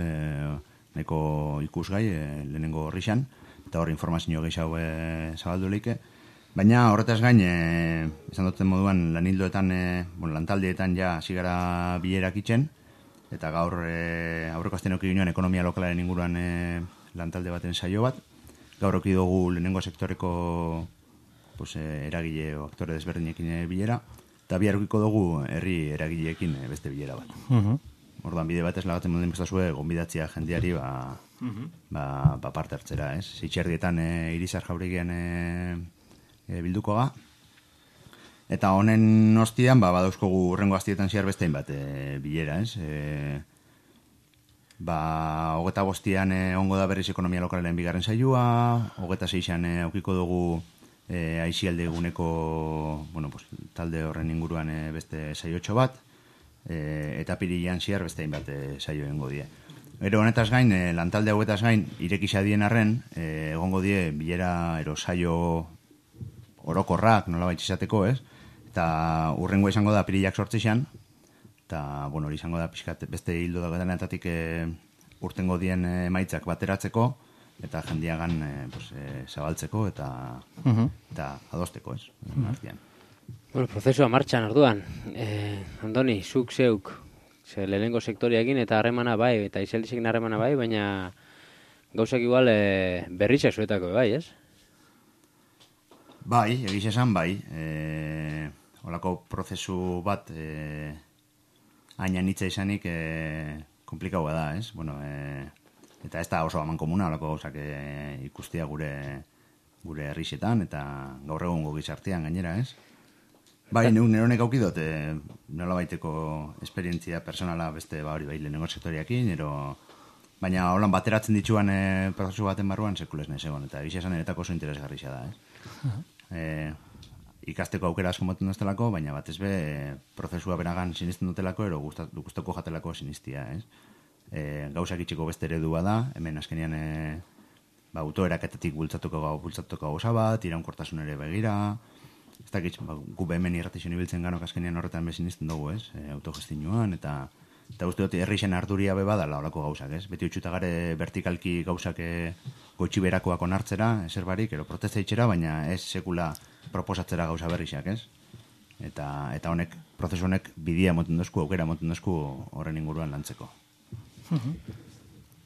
nahiko ikusgai, lehenengo horrixan, eta hor informazio geixau zabaldu leike. Baina horretaz gain, esan duten moduan, lanildoetan, lantaldietan ja zigara bilerak itxen, eta gaur aurreko azten oki ginoen ekonomia lokalaren inguruan lantalde baten saio bat. Gaur oki dugu lehenengo sektoreko eragile o aktore desberdinekin bilera, eta bihar okiko dugu herri eragileekin beste bilera bat. Orduan bide batez lagatzen moden bestazue gonbidatzia jendeari parte hartzera, ez? Zitxerdietan Irizar Jauregian bilduko ga. Eta honen ostian, badauzkogu urrengo aztietan zehar bestein bat bilera, ez? 25an ongo da berriz ekonomia lokalaren bigarren saioa, 26an aukiko dugu aizialde eguneko talde horren inguruan beste saiotxo bat, eta pirilean zehar bestein bat saio egongo die. Gero honetaz gain, lantalde hauetaz gain, irekisa dien arren, egongo die bilera ero saio orokorrak nolabait izateko, ez? Eta urrengo izango da pirilak sortzixan, eta, hori izango da pixkat beste hildo dagoetanetatik urtengo dien emaitzak bateratzeko, eta jendiagan zabaltzeko eta adosteko, ez? Bueno, prozesua martxan orduan. Andoni, zuk zeuk, lehenengo sektoriakin eta harremana bai, eta izeldizekin harremana bai, baina gauzak igual berritxak zuetako bai, ez? Bai, egiz esan bai. Olako prozesu bat haina nitza izanik komplikaua da, ez? Bueno, eta ez da oso aman komuna olako gauzak ikustia gure herrixetan eta gaur egungo gizartean gainera, ez? Bai, neronek aukidot nola baiteko esperientzia personala beste hori bai lehenengo sektoriakin, baina holan bateratzen dituan prozesu baten barruan sekules nahi zegoen, eta egiz esan eretako oso interesgarria da, ez? Ikasteko aukera asko moten duztelako, baina batez be prozesua benagan sinisten dutelako, ero guztoko jatelako sinistia, ez? Gauzak itxiko beste eredua da, hemen azkenean autoeraketetik bultzatuko gauza bat, iraunkortasun ere begira, ez dakit, gu hemen irratizio ibiltzen ganok azkenean horretan bezinisten dugu, ez? Autogestinoan, eta uste dut herrixen arduria beba dala horako gauzak, ez? Beti utxuta gare vertikalki gauzak goitxi berakoak onartzera, ezer barik, ero protesta itxera, baina ez sekula proposatzera gauza berrixak, ez? Eta honek, prozesu honek bidia moten dozku, aukera moten dozku horren inguruan lantzeko.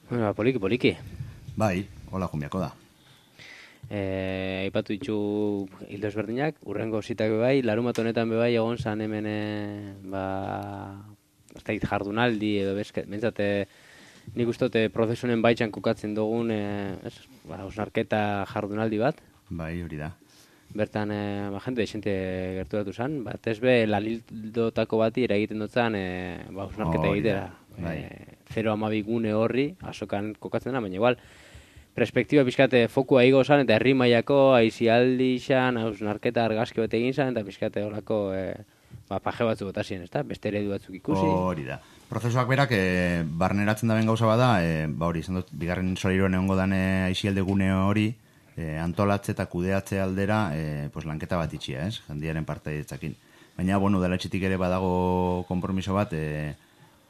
Bueno, poliki. Bai, hola jumbiako da. Aipatu ditu hildo ezberdinak, urrengo zitak bebai, larumat honetan bebai egon zan hemen, ez da jardunaldi edo bentsat, nik uste prozesunen baitxan kokatzen dugun, osnarketa jardunaldi bat. Bai, hori da. Bertan, jente desente gerturatu zen, bat ez be, lalildotako bati eragiten dutzen, osnarketa egitera. 0,12 gune horri, asokan kokatzen dena, baina igual, perspektiba pixkate fokua igo zan, eta herri mailako aizialdi zan, hausnarketa argazki bat egin zan, eta pixkate horako paje batzu botazien, ez da? Beste eredu batzuk ikusi. Hori da. Prozesuak berak, barneratzen da ben gauza bada, hori, izan dut, bigarren solairuan egongo dan aizialde gune hori, antolatze eta kudeatze aldera, lanketa bat itxia, ez? Jendiaren partaidetzakin. Baina, bueno, dela etxetik ere badago konpromiso bat,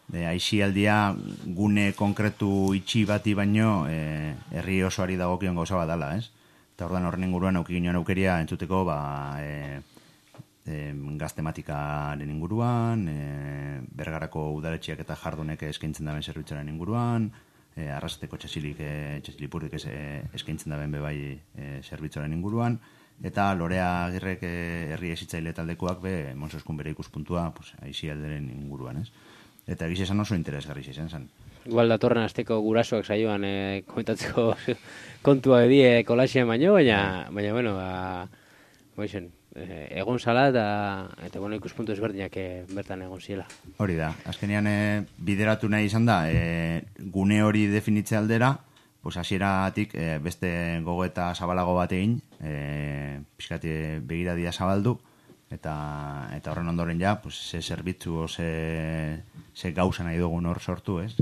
aizialdia gune konkretu itxi bati baino herri osoari dagokion gauza bat dala, ez? Eta ordan horren inguruan auki ginoen aukeria entzuteko gaztematikaren inguruan, Bergarako udaletxiak eta jardunek eskaintzen daben zerbitzuaren inguruan, arrasateko txasilipurdik eskaintzen daben bebai zerbitzuaren inguruan, eta Lorea Agirrek herri ezitzaile taldekoak Monsoskun bere ikuspuntua aizialderen inguruan, ez? Eta egiz esan oso interesgarri izan zen. Igual datorren asteko gurasoak saioan komentatzeko kontua edie kolaxean baino, baina bueno, egon zala eta bueno, ikuspuntu ezberdinak bertan egon ziela. Hori da, azkenean bideratu nahi izan da, gune hori definitze aldera, hasieratik beste gogoeta zabalago bat egin, pixkati begiradia zabaldu, eta horren ondoren ja, ze zerbitzu, ze gauza nahi dugun hor sortu, ez?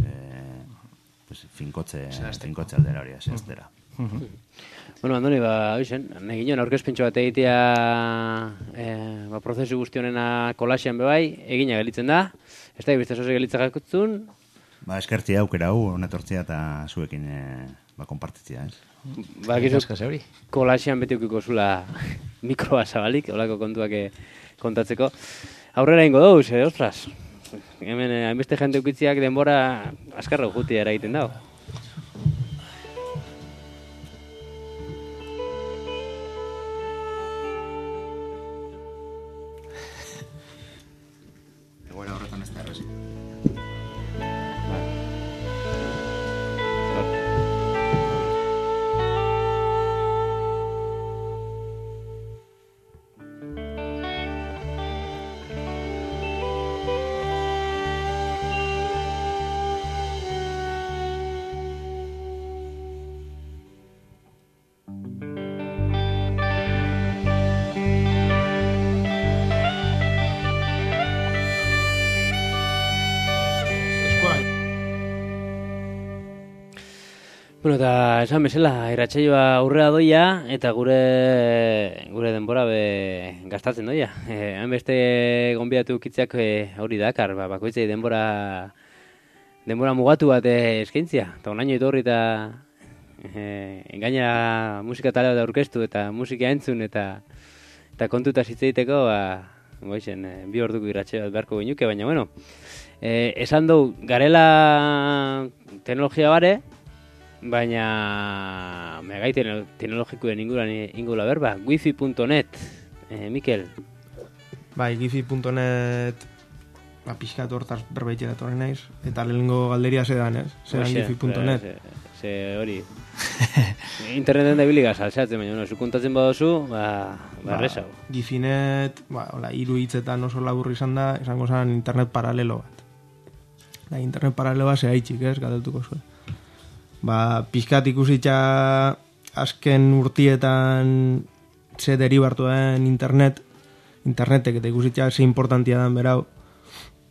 Finkotze aldera hori, ez dira. Bueno, Andoni, nahi ginen aurkezpentso bat egitea prozesu guztionena kolaxean bebai, egina gelitzen da, ez da, ibizte zoze gelitza gakutzun. Eskertzia aukera hu, honetortzia eta zuekin konpartitzia, ez? Kolaxean beti ukiko zula mikroa zabalik, holako kontuak kontatzeko. Aurrera ingo dauz, ostras. Hemen, hainbeste jente ukitziak denbora askarra jutia eragiten dago. Egoera horretan ez da errezi. Bueno, eta esan bezala, irratsaioa aurrera doia, eta gure denbora gastatzen doia. Hainbeste gonbidatu ukitzeak hori dakar, bakoitzei denbora mugatu bat eskaintzia. Eta onaino etorri eta gainera musika tale bat aurkeztu eta musika entzun eta kontuta zitzeiteko, bi orduko irratsaio bat beharko ginuke, baina bueno, esan dugu, garela teknologia bare, baina megai teknologikoen ingula berba, wifi.net, Mikel. Bai, wifi.net pixkat hortaz berbaitxe datorren naiz, eta lehenengo galderia zedan, ez? Zedan wifi.net. Ze hori. Interneten da biliga saltzatzen, baina zu kontatzen badozu, errezau. Wifi.net, hiru hitzetan oso laburri izan da, esango zen internet paralelo bat. Internet paralelo bat zea itxik, ez? Gateltuko zuen. Pixkat ikusitza azken urtietan ze deribartu den internetek eta ikusitza ze importantia den berau.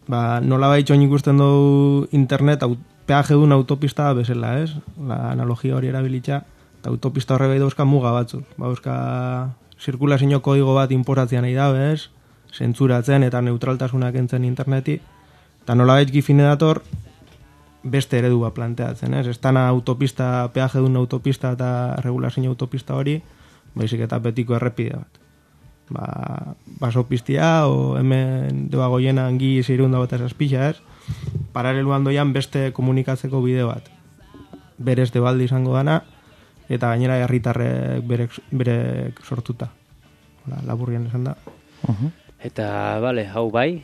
Nola baitxoin ikusten dugu internet peaje duen autopista bezala, ez? Analogia hori erabilitza, eta autopista horre behi dauzka muga batzuk. Dauzka zirkulazio kodigo bat inporatzean nahi dago, ez? Zentzuratzen eta neutraltasunak entzen interneti. Eta nola baitx gifine dator, beste eredu bat planteatzen, ez? Ez dana autopista, peaje duen autopista eta regulazio autopista hori, baizik eta betiko errepide bat. Basopistia, o hemen debagoiena angi zeirunda bat esazpixa, ez? Paraleluan doian beste komunikatzeko bide bat. Berez debaldi izango dana, eta gainera herritarrek berek sortuta. Laburrian esan da. Eta, bale, hau bai,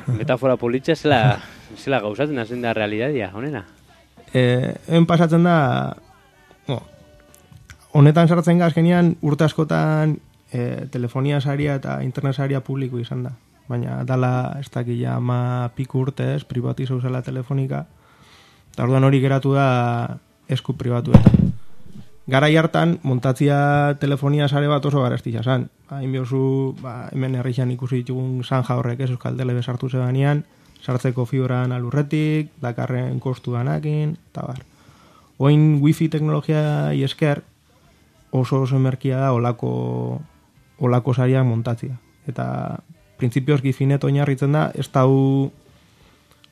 metafora politxe zela gauzatzen hazen da realidadia, honena? Hemen pasatzen da, honetan sartzen gazkenian urte askotan telefonia saria eta internet saria publiko izan da. Baina dala ez dakila piku urte privatizau zela telefonika, eta orduan hori geratu da esku pribatuetan. Garai hartan, montatzia telefonia sare bat oso garestitza zan. Hain biozu, hemen herrixan ikusi ditugun zanja horrek Euskal Telebe sartu zebanean, sartzeko fibran alurretik, dakarren kostu danakin, eta bar. Oin wifi teknologia esker oso merkia da olako sariak montatzia. Eta printzipioz gifinet oinarritzen da, ez dau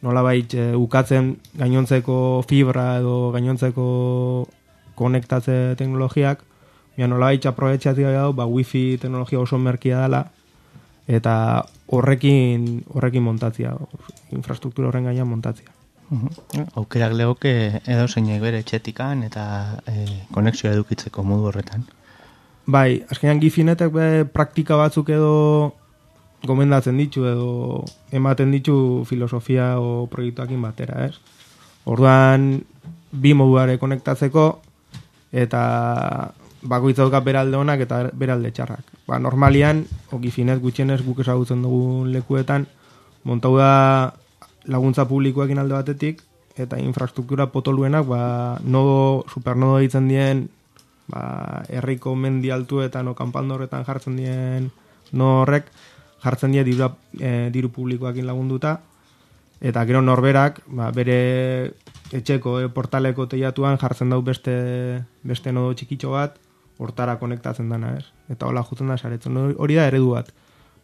nolabait ukatzen gainontzeko fibra edo gainontzeko konektatze teknologiak, nolabait aprobetxatzea dago, wifi teknologia oso merkia dela, eta horrekin montatzia, infrastruktura horren gainean montatzia. Aukerak legoke edo zeinek bere etxetikan eta konexioa edukitzeko modu horretan. Bai, azkenean gifinetek praktika batzuk edo gomendatzen ditu edo ematen ditu filosofia o proiektuakin batera, ez? Orduan, bi moduare konektatzeko eta bakoitza dauka beralde honak eta beralde txarrak. Normalian, gifinet gutxienez guk ezagutzen dugun lekuetan, montau da laguntza publikoekin alde batetik, eta infrastruktura potoluenak, supernodo ditzen dien, herriko mendi altuetan o kanpandorretan jartzen dien horrek, jartzen die diru publikoekin lagunduta, eta gero norberak, bere etxeko portaleko teiatuan jartzen dau beste nodo txikitxo bat, hortara konektatzen dana, ez? Eta hola jutzen da saretzen. Hori da eredu bat.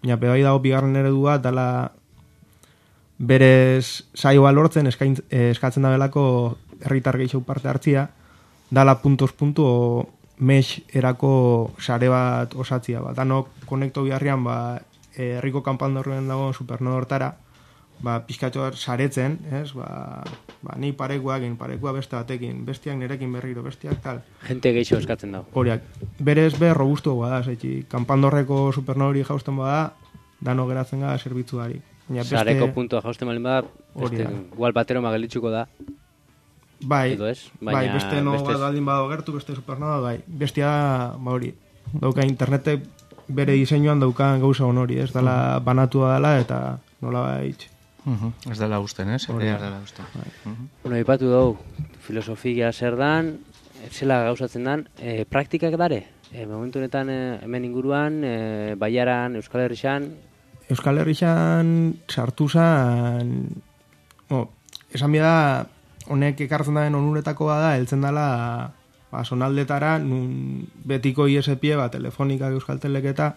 Baina bai dago bigarren eredu bat, dala berez saioa lortzen eskatzen da belako herritar gehiago parte hartzia, dala puntos mesh erako sare bat osatzia. Danok konekto biharrian herriko kanpandorren dago supernodo hortara, pizkatxo bat saretzen, ez? Ni parekua beste batekin, bestiak nerekin berriro, bestiak tal. Gente gehiago eskatzen dago. Horiak, berez robustu bada, kanpandorreko supernodori jausten bada, dano geratzen gara zerbitzuari. Sareko puntua jausten balin bada, igual batero magelitzuko da. Bai, edo ez? Beste no bat aldin badago gertu, beste supernoda, bai. Bestia, hori, dauka internetek bere diseinuan daukan gauza honori, ez dela banatua dela eta nola baitz. Ez dela usten, ez? Bueno, ipatu dugu, filosofia zer dan, zela gauzatzen dan, praktikak dare? Momentu honetan hemen inguruan, Baiaran, Euskal Herrixan? Euskal Herrixan sartu zan, esan bida, honek ekartzen daren onuretako bada, heltzen dela sonaldetara, nun betiko ISP, telefonikak Euskal Teleketa,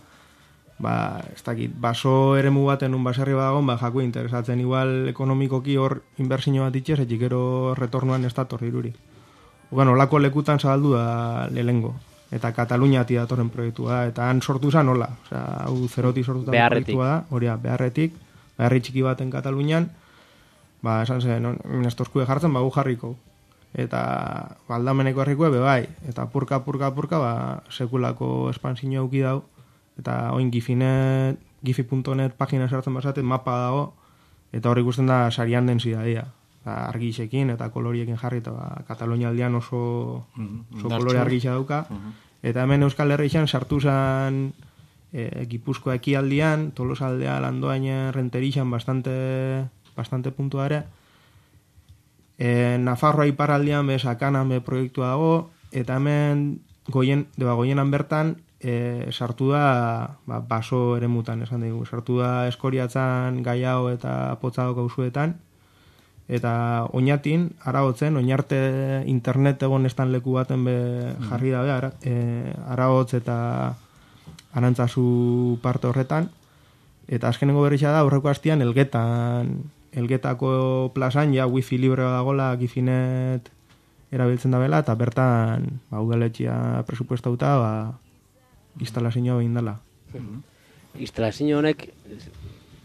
ez dakit, baso eremu baten nun baserri badagon, jako interesatzen igual ekonomikoki hor inbertsio bat itxez, etxikero retornuan ez dator diruri. Olako lekutan zabaldu da lehengo, eta Kataluniati datorren proiektua, eta han sortu zan hola, hau zeroti sortu da proiektua da, hori beharretik, beharri txiki baten Katalunian, esan zen, minestozkue jartzen, gu jarriko. Eta aldameneko herrikoe bai, eta purka, sekulako espansio auki dau, eta oin gifi.net pagina sartzen bazaten mapa dago, eta hor ikusten da sarian densidadia. Argixekin eta koloriekin jarri, eta Katalunia aldean oso kolore argixa dauka. Eta hemen Euskal Herrixan sartu zen Gipuzkoa ekialdean, Tolosa aldea, Landoain, Renterixan bastante puntua ere. Nafarroa iparraldean Sakanan proiektua dago, eta hemen goienan bertan sartu da baso eremutan, esan dugu. Sartu da Eskoriatzan, Gaiao eta Potzado kauzuetan, eta oinatin, Aragotzen, oinarte internet egon estan leku baten jarri dabe, Aragotz eta Arantzazu parte horretan, eta azkenengo berrixa da, aurreko hastian Elgetako plazan, wifi libre dagoela gifinet erabiltzen dabela, eta bertan udaletxea presupuestauta instalazioa behin dela. Instalazio honek,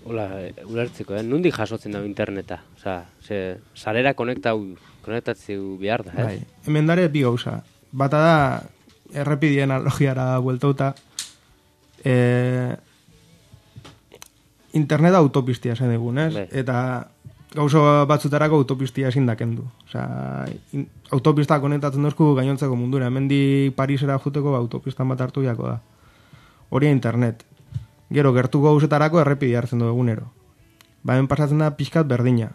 ulertzeko, nondik jasotzen dago interneta? Sarera konektatzeu behar da, ez? Hemen dare bi gauza. bata da, errepidien analogiara bueltauta, internet autopistia zen egun, ez? Eta gauzo batzutarako autopistia ezin dakendu. Osea, autopista konektatzen dozku gainontzeko mundura. Hemendik Parisera juteko autopistan bat hartu jako da. Hori internet. Gero, gertuko gauzetarako errepidi hartzen du egunero. Hemen pasatzen da pixkat berdina.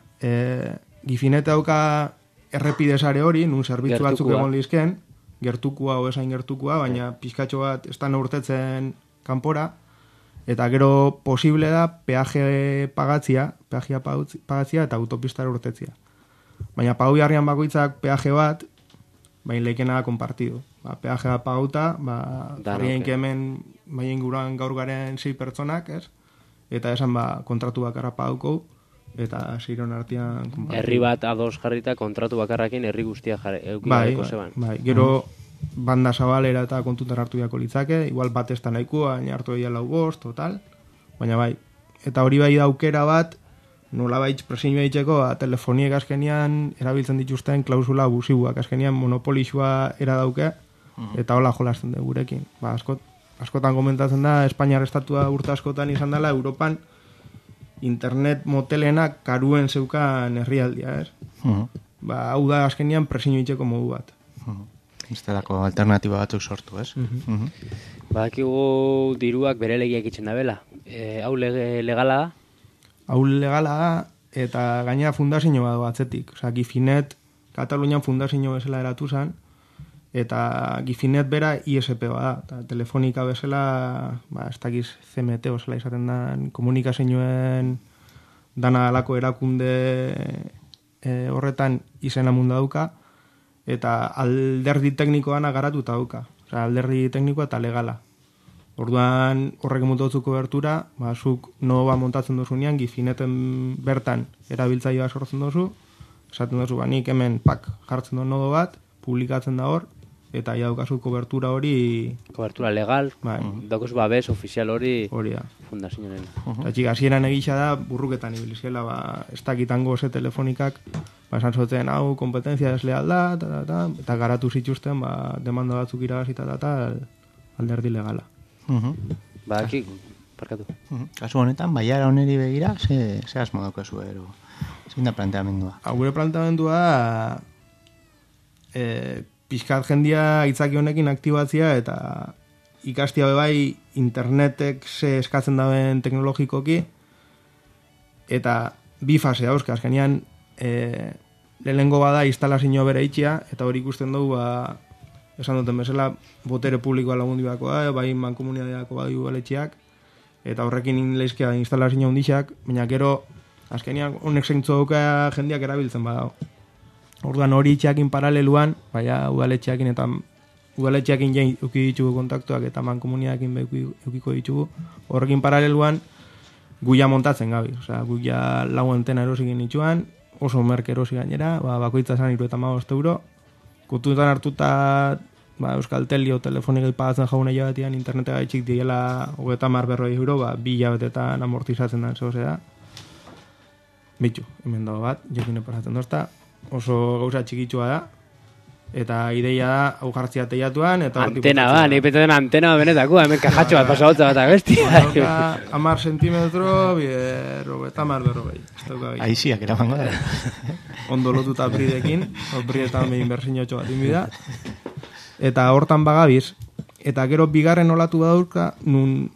Gifinet dauka errepide sare hori, nun zerbitzu batzuk egon lizken, gertukua o esain gertukua, baina pixkatxo bat ez da neurtetzen kanpora, eta gero posible da peajea pagatzia eta autopistara urtetzia. Baina pagau jarrian bakoitzak peaje bat, baina leikena da kompartido. Peajea pagauta, jarrien kemen baina inguruan gaur garen 6 pertsonak, ez? Eta esan kontratu bakarra pagauko, eta ziron artean kompartido. Herri bat ados jarrita kontratu bakarrakin herri guztia eukiko zeban. Bai, gero banda zabalera eta kontutan hartu jako litzake, igual bat ez da nahikoa, baina hartu egia 4-5, total, baina bai. Eta hori bai da aukera bat, nola baitz presin behitxeko, telefoniek azkenian erabiltzen dituzten klausula abusibuak, azkenian monopolizua era dauke, eta hola jolasten dugu gurekin. Askotan komentatzen da, Espainiar estatua urte askotan izan dela, Europan internet motelenak karuen zeukan herrialdia, ez? Hau da azkenian presin behitxeko modu bat. Estelako alternatiba batzuk sortu, ez? Badakigu diruak bere legiak itzen da bela. Hau legala da? Hau legala da, eta gainera fundazio bat atzetik. Osa, Gifinet, Katalunian fundazio bezala eratu zen, eta Gifinet bera ISP bada. Eta telefonika bezala, ez dakiz CMT bezala izaten da, komunikazioen dana alako erakunde horretan izena munda dauka, eta alderdi teknikoan agaratuta dauka. Osea, alderdi teknikoa eta legala. Orduan horrek emutotzu kobertura, zuk noba montatzen dozunean, Gifineten bertan erabiltzailea sortzen dozu, esaten dozu, nik hemen jartzen du nodo bat, publikatzen da hor, eta ja daukazu kobertura hori... Kobertura legal, daukazu babes ofizial hori fundazioaren. Eta txik, hasieran egisa da, burruketan ibilizela, ez dakitango ze telefonikak, esan zotzen, hau, kompetenzia desleal da, eta garatu zituzten, demanda batzuk irabazita eta alderdi legala. Badaki, parkatu. Kasu honetan, baiara oneri begira, ze asmo daukazu ero? Zein da planteamendua? Gure planteamendua pixkat jendia itzaki honekin aktibatzia eta ikastia bebai internetek ze eskatzen dauen teknologikoki eta bi fase dauzka, azkenean lehenengo bada instalazio bere itxia eta hori ikusten dugu esan duten bezala botere publikoa lagundi bako da, bai mankomunidadeako bai udaletxeak eta horrekin leizkia instalazio hundixak, baina gero azkenean honek zeintzu dauka jendiak erabiltzen badago. Orduan hori itxeakin paraleluan, baina udaletxeakin eta udaletxeakin jain euki ditugu kontaktuak eta mankomunidadekin eukiko ditugu. Horrekin paraleluan guia montatzen gabi. Osea, guia lau antena erosikin nituan, oso merke erosi gainera, bakoitza zan €75. Kontutan hartuta Euskaltel o telefonik pagatzen jaune jabetean interneta gaitxik diela €30-40, 2 hilabetetan amortizatzen da, zehozea. Bitu, hemen dago bat, jokin epasatzen dozta, oso gauza txikitsua da, eta ideia da, hau jartzia teiatuan, eta... Antena nik petzen antena benetako, hemen kajatxo bat pasagotza bat abestia. 10 sentimetro, 30-40. Aiziak eramango da. Ondo lotuta bridekin, bridetan behin berzinotxo bat inbida. Eta hortan bagabiz, eta gero bigarren olatu badaurka, nun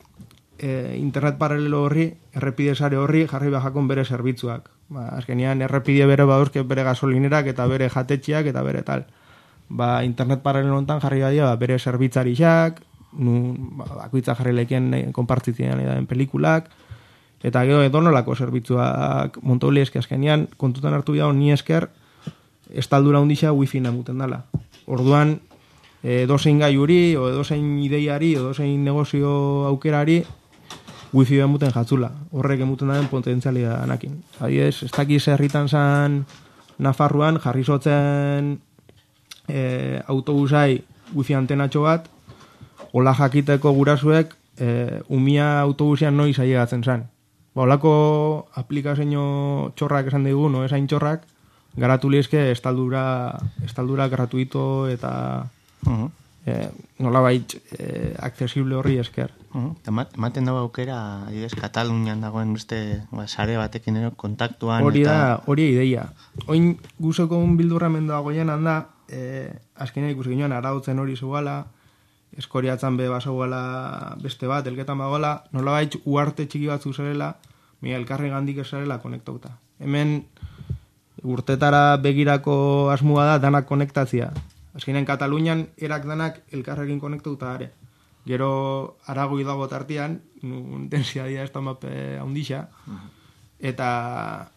internet paralelo horri, errepide sare horri, jarri bajakon bere zerbitzuak. Azkenean, errepide bere badauzke bere gasolinerak, eta bere jatetxiak, eta bere tal. Internet paralelo hontan jarri badia, bere zerbitzarixak, bakoitza jarri lehikien konpartitzean edaben pelikulak, eta gero edonolako zerbitzuak montauli eski azkenean, kontutan hartu bida ni esker, estaldura hundixa wifi namuten dala. Orduan, edozein gaiuri, o edozein ideiari, o edozein negozio aukerari, wifi emuten jatzula. Horrek emuten daren potentzialia anakin. Adidez, ez dakiz herritan zan Nafarruan, jarri zotzen autobusai wifi antenatxo bat, hola jakiteko gurasuek umia autobusian noiz ailegatzen zan. Holako aplikazio txorrak esan dugu, no esain txorrak, garatu lizke estaldura gratuito eta Nolabait accesible horri esker. Ematen dago aukera, Katalunian dagoen beste sare batekin kontaktuan. Hori ideia. Oin guzoko bildurra mendoagoien handa, azkenean ikusi ginoen arautzen hori zuela, eskoriatzen be basagoela beste bat, elketan bagoela, nolabait uarte txiki batzu zerela, elkarri gandik esarela konektauta. Hemen urtetara begirako asmua da danak konektatzia. Azkenean Katalunian erak danak elkarrekin konektauta are. Gero aragoi dago tartian, densiadia ez da mape handixa, eta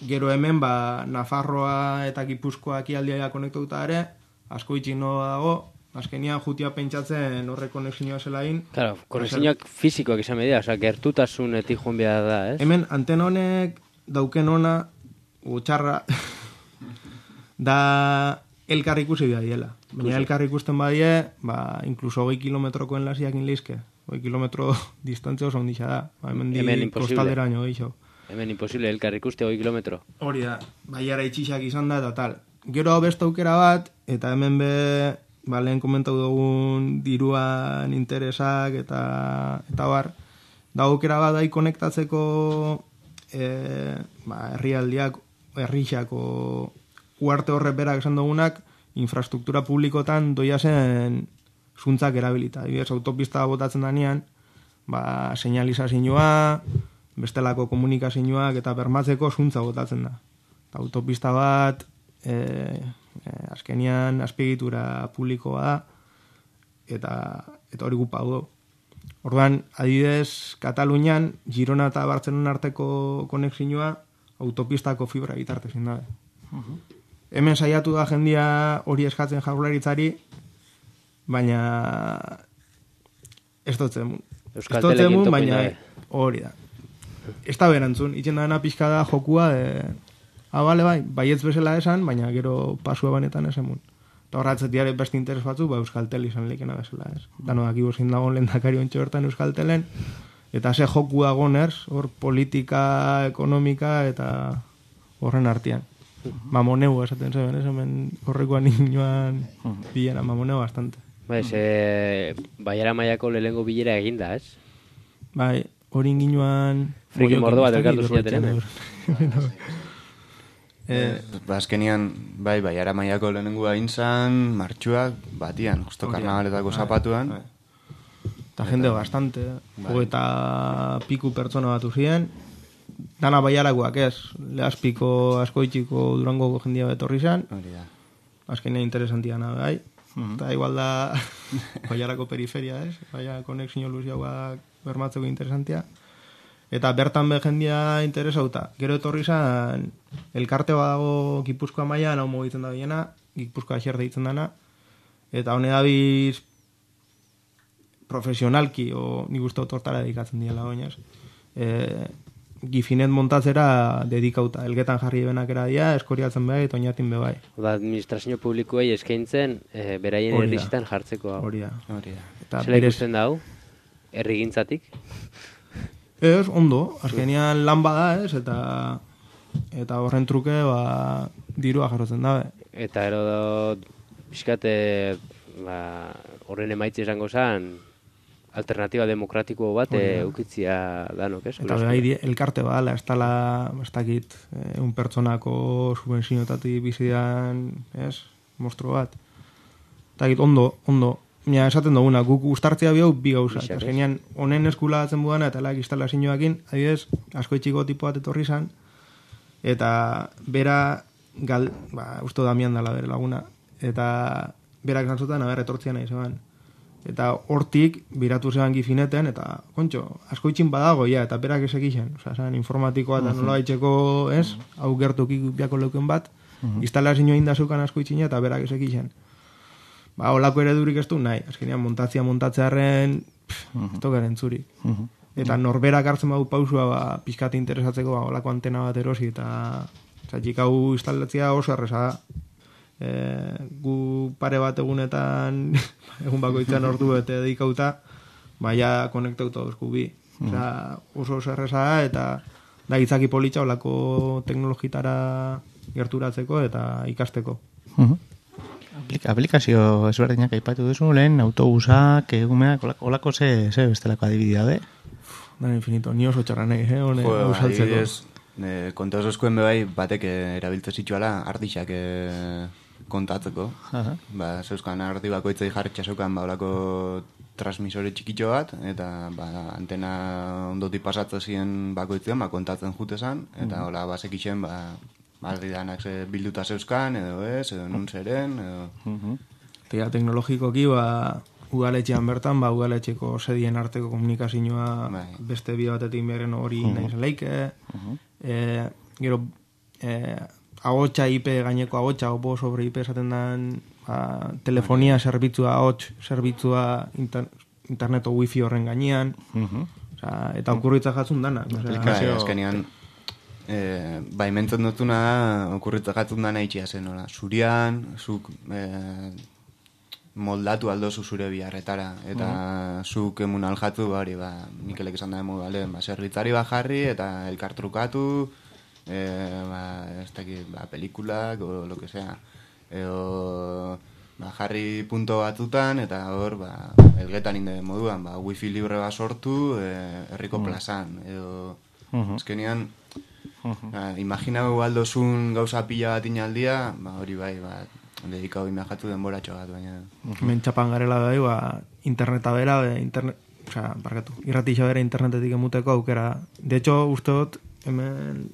gero hemen Nafarroa eta Gipuzkoa ekialdia konektauta are, asko itxino dago, azkenian jutia pentsatzen horre konexioa zelain. Claro, konexioak fizikoak izan media, oza, gertutasunetik joan behar da, ez? Hemen antena honek dauken ona, txarra, da elkar ikusi behar diela. Baina elkar ikusten badie, inkluso 20 kilometrokoen lasiak inleizke. 20 kilometro distantzia oso ondisa da. Hemen kostaldera baino gehiago. Hemen imposible elkar ikuste 20 kilometro. Hori da, baiara itxixak izan da eta tal. Gero beste aukera bat, eta hemen lehen komentau dugun diruan interesak eta bar, da aukera bat da konektatzeko herrialdiak, herrixako uarte horre berak esan dugunak, infrastruktura publikotan doia zen zuntzak erabilita. Adibidez, autopista botatzen danean, señalizazioa, bestelako komunikazioak eta bermatzeko zuntza botatzen da. Autopista bat, azkenian azpiegitura publikoa da, eta hori gupa du. Orduan, adibidez, Katalunian, Girona eta Bartzelona arteko konexioa autopistako fibra bitartezin da. Hemen saiatu da jendia hori eskatzen jaurlaritzari, baina ez dotzen. Baina hori da. Ez da berantzun, itxen dana pixka da jokua, bale baietz bezala esan, baina gero pasua banetan esan mun. Eta horratzetiare beste interes batzu, Euskaltel izan lekena bezala ez. Dano daki bozin dagoen lehendakari ontsa bertan Euskaltelen, eta ze joku dagoen hor politika, ekonomika eta horren artean. Mamoneu esaten zeben, hemen horrekoan inoan bilera, mamoneu bastante. Baiara maiako lehengo bilera eginda, ez? Bai, hori inginoan... Friki mordo bat elkartu zinaten hemen. Azkenian, baiara maiako lehenengo egin zan, martxuak, batian, justo karnabaletako zapatuan. Eta jende bastante, eta piku pertsona batu ziren, dana baiarakoak ez, Lehazpiko, Askoitxiko, Durangoko jendia betorri zen, azkenean interesantiana bai, eta igual da baiarako periferia ez, baia konexio luziagoak bermatzeko interesantia, eta bertan jendia interesauta. Gero etorri zen, elkarte badago Gipuzkoa mailan, hau mogitzen da biena, Gipuzkoa xer deitzen dana, eta hone dabiz profesionalki, nik uste otortara dedikatzen diela oinaz, gifinet montatzera dedikauta. Elgetan jarri benakera dia, eskoriatzen behar eta oinatin bebai. Administrazio publikoei eskaintzen beraien herrizitan jartzeko. Hori da. Zela ikusten da hau? Herrigintzatik? Ez, ondo. Azkenean lan bada ez, eta horren truke dirua jarrotzen dabe. Eta ero pixkate horren emaitze izango zen alternatiba demokratiko bat eukitzia danok, ez? Eta behar elkarte badala, ez tala, ez dakit, un pertsonako subvenzinotati bizidan, ez? Mostro bat. Eta dakit, ondo. Mira, esaten duguna, guk ustartzea bihau bi gauza. Eta genean, honen eskula batzen budana, eta laik instalazioakin, adibidez, Askoitxiko tipo bat etorri zan, eta bera, usto Damian dala bere laguna, eta berak zantzutan, etortzia nahi zeban. Eta hortik, biratu zeban gifineten, eta, kontxo, Askoitxin badago, eta berak ez egiten. Osa, informatikoa eta nola baitzeko, ez, hau gertukik biako leuken bat, instalazioa indazukan Askoitxina, eta berak ez egiten. Olako eredurik ez du, nahi. Azkenean, montatzearen, ez tokaren zurik. Eta norberak hartzen badu pausua, pixkate interesatzeko, olako antena bat erosi, eta txatxik hau instalatzea oso erreza da. Gu pare bat egunetan, egun bakoitzan ordu bete dedikauta, baina konektauta dozku bi. Oso erreza da, eta da itzaki politxa olako teknologitara gerturatzeko eta ikasteko. aplikazio ezberdinak aipatu duzu, lehen autobusak, egumeak, olako ze bestelako adibidea, de? Dan infinito, ni oso txarra nahi, hone usaltzeko. Konta oso eskuen bebai, batek erabiltze zituala ardixak kontatzeko. Ba, zeuzkan ardi bakoitzei jarritxa zeukan, ba, olako transmisore txikitxo bat, eta ba, antena ondotik pasatzen ziren bakoitzen, ba, kontatzen jutezan, eta hola, basekitxen, ba, ardi danak bilduta zeuzkan, edo ez, edo nun zeren, edo... Eta teknologikoki, ba, udaletxean bertan, ba, udaletxeko sedien arteko komunikazioa beste bide batetik beren hori nahi zelaike, gero, agotxa IP gaineko agotxa, opo sobre IP esaten den telefonia zerbitzua, ahots zerbitzua interneto wifi horren gainean, eta okurritza jatzun dana. Azkenean, baimentzen dutuna okurritza jatzun dana itxia zen, zurian, zuk moldatu aldozu zure biharretara, eta zuk emun aljatu, hori, Mikelek esan da modu, zerbitzari jarri, eta elkartrukatu, ez dakit, pelikulak, o lo que sea, edo jarri punto batutan, eta hor, elgetan inde moduan, wifi libre bat sortu, herriko plazan, edo, ezkenean, imaginau aldozun gauza pila bat inaldia, hori bai, dedikau imajatu denboratxo bat, baina... Mentxapan garela bai, interneta bera, irratixo bera internetetik emuteko aukera. De hecho, usteot, hemen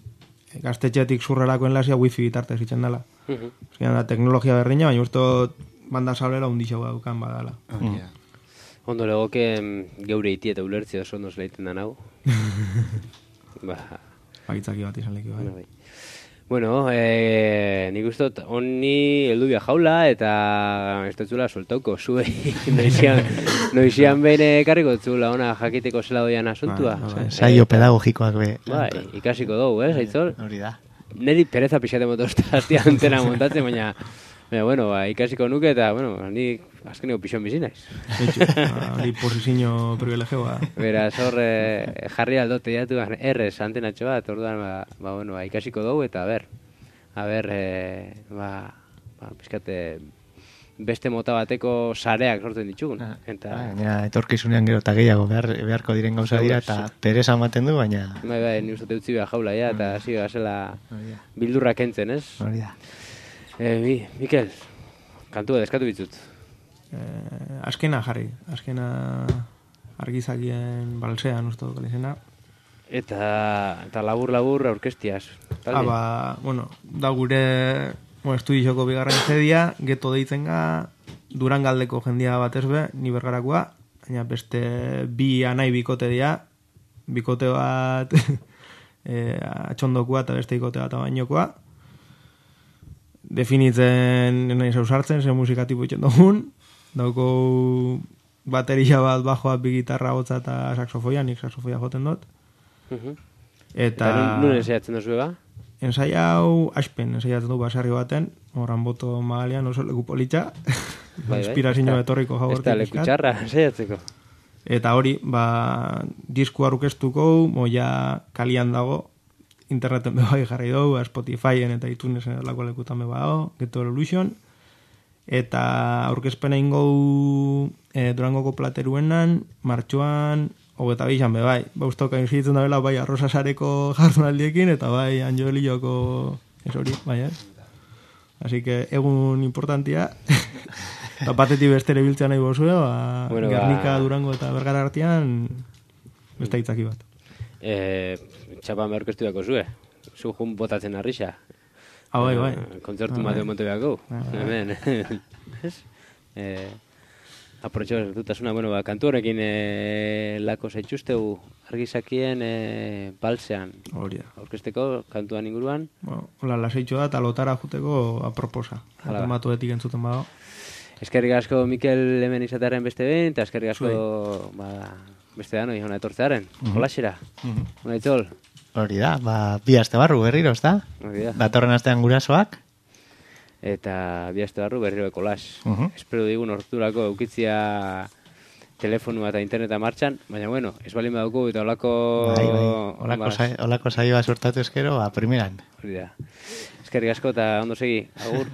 gaztetxetik zurrerako enlazia wifi bitartez itzen dela. Da teknologia berdina, baina usteot banda sablera undixo daukan badala. Ondo legoke geure iti eta ulertzea oso ondo zelaiten da nago. Bagitzaki bat izan leki bai. Bueno, nik ustot, honi heldu bia jaula eta ez dutzula soltauko, zuei noizian behin karriko dutzula ona jakiteko zela doian asuntua. Saio pedagogikoak be. Bai, ikasiko dugu, Aitzol? Hori da. Neri pereza pixate motozta hastia antena montatzen, baina bueno, ikasiko nuke eta, bueno, ni azkeneko pixon bizi naiz. Hori posizio privilegioa. Beraz, hor jarri aldote diatu, errez antenatxo bat, orduan, bueno, ikasiko dugu eta a ber, pixkate beste mota bateko sareak sortzen ditugun. Etorkizunean gero eta gehiago beharko diren gauza dira, eta pereza ematen du, baina... Bai, ni uste utzi behar jaula, eta hasi gazela bildurra kentzen, ez? Hori da. Mikel, kantua deskatu bitzut. Azkena jarri, azkena argizakien balsean uste dut izena. Eta labur aurkestiaz. Bueno, da gure estudioko bigarren zedia, geto deitzen ga, Durangaldeko jendia batez be, ni bergarakoa, baina beste bi anai bikote dira, bikote bat atxondokoa eta beste bikote bat bainokoa. Definitzen nahi zauzartzen, ze musikatipo itxen dugun, dauko bateria bat, bajoa, bi gitarra, hotza eta saxofoia, nik saxofoia joten dut. Eta nun ensaiatzen duzu eba? Ensaia hau aspen, ensaiatzen du basarri baten, horan boto magalian oso leku politxa, inspirazio etorriko jabortik. Ez da leku txarra ensaiatzeko. Eta hori, disku aurkeztuko, moia kalian dago, interneten bebai jarri dugu, Spotifyen eta iTunesen lako lekutan beba dago, Get Evolution, eta aurkezpena ingo Durangoko plateruenan, martxoan, hogeta bizan bebai, bauztoka inzitzen da bela, bai arrosasareko jardunaldiekin, eta bai Anjolioko ez hori, bai, Así que egun importantia, eta batetik bestere biltzea nahi bozue, Gernika, Durango eta Bergara artean, beste hitzaki bat. Txapan behar orkestu dako zue, zu jun botatzen arrixa. Bai. Kontzertu mateo monte behako. Hemen. Aprotxo dutasuna, kantu horrekin lako zaitxustegu argizakien balsean. Orkesteko kantuan inguruan. Hola, lasaitxo da, talotara juteko aproposa. Matuetik entzuten badago. Eskerrik asko Mikel hemen izatearen beste behin, eta eskerrik asko beste dano, hona etortzearen. Jolaxera. Aitzol. Hori da, bi aste barru berriro, ez da? Datorren astean gurasoak. Eta bi aste barru berriro ekolax. Espero digun horturako eukitzia telefonua eta interneta martxan, baina ez balin badugu eta olako saioa sortatu eskero, primeran. Hori da. Eskerrik asko eta ondo segi. Agur.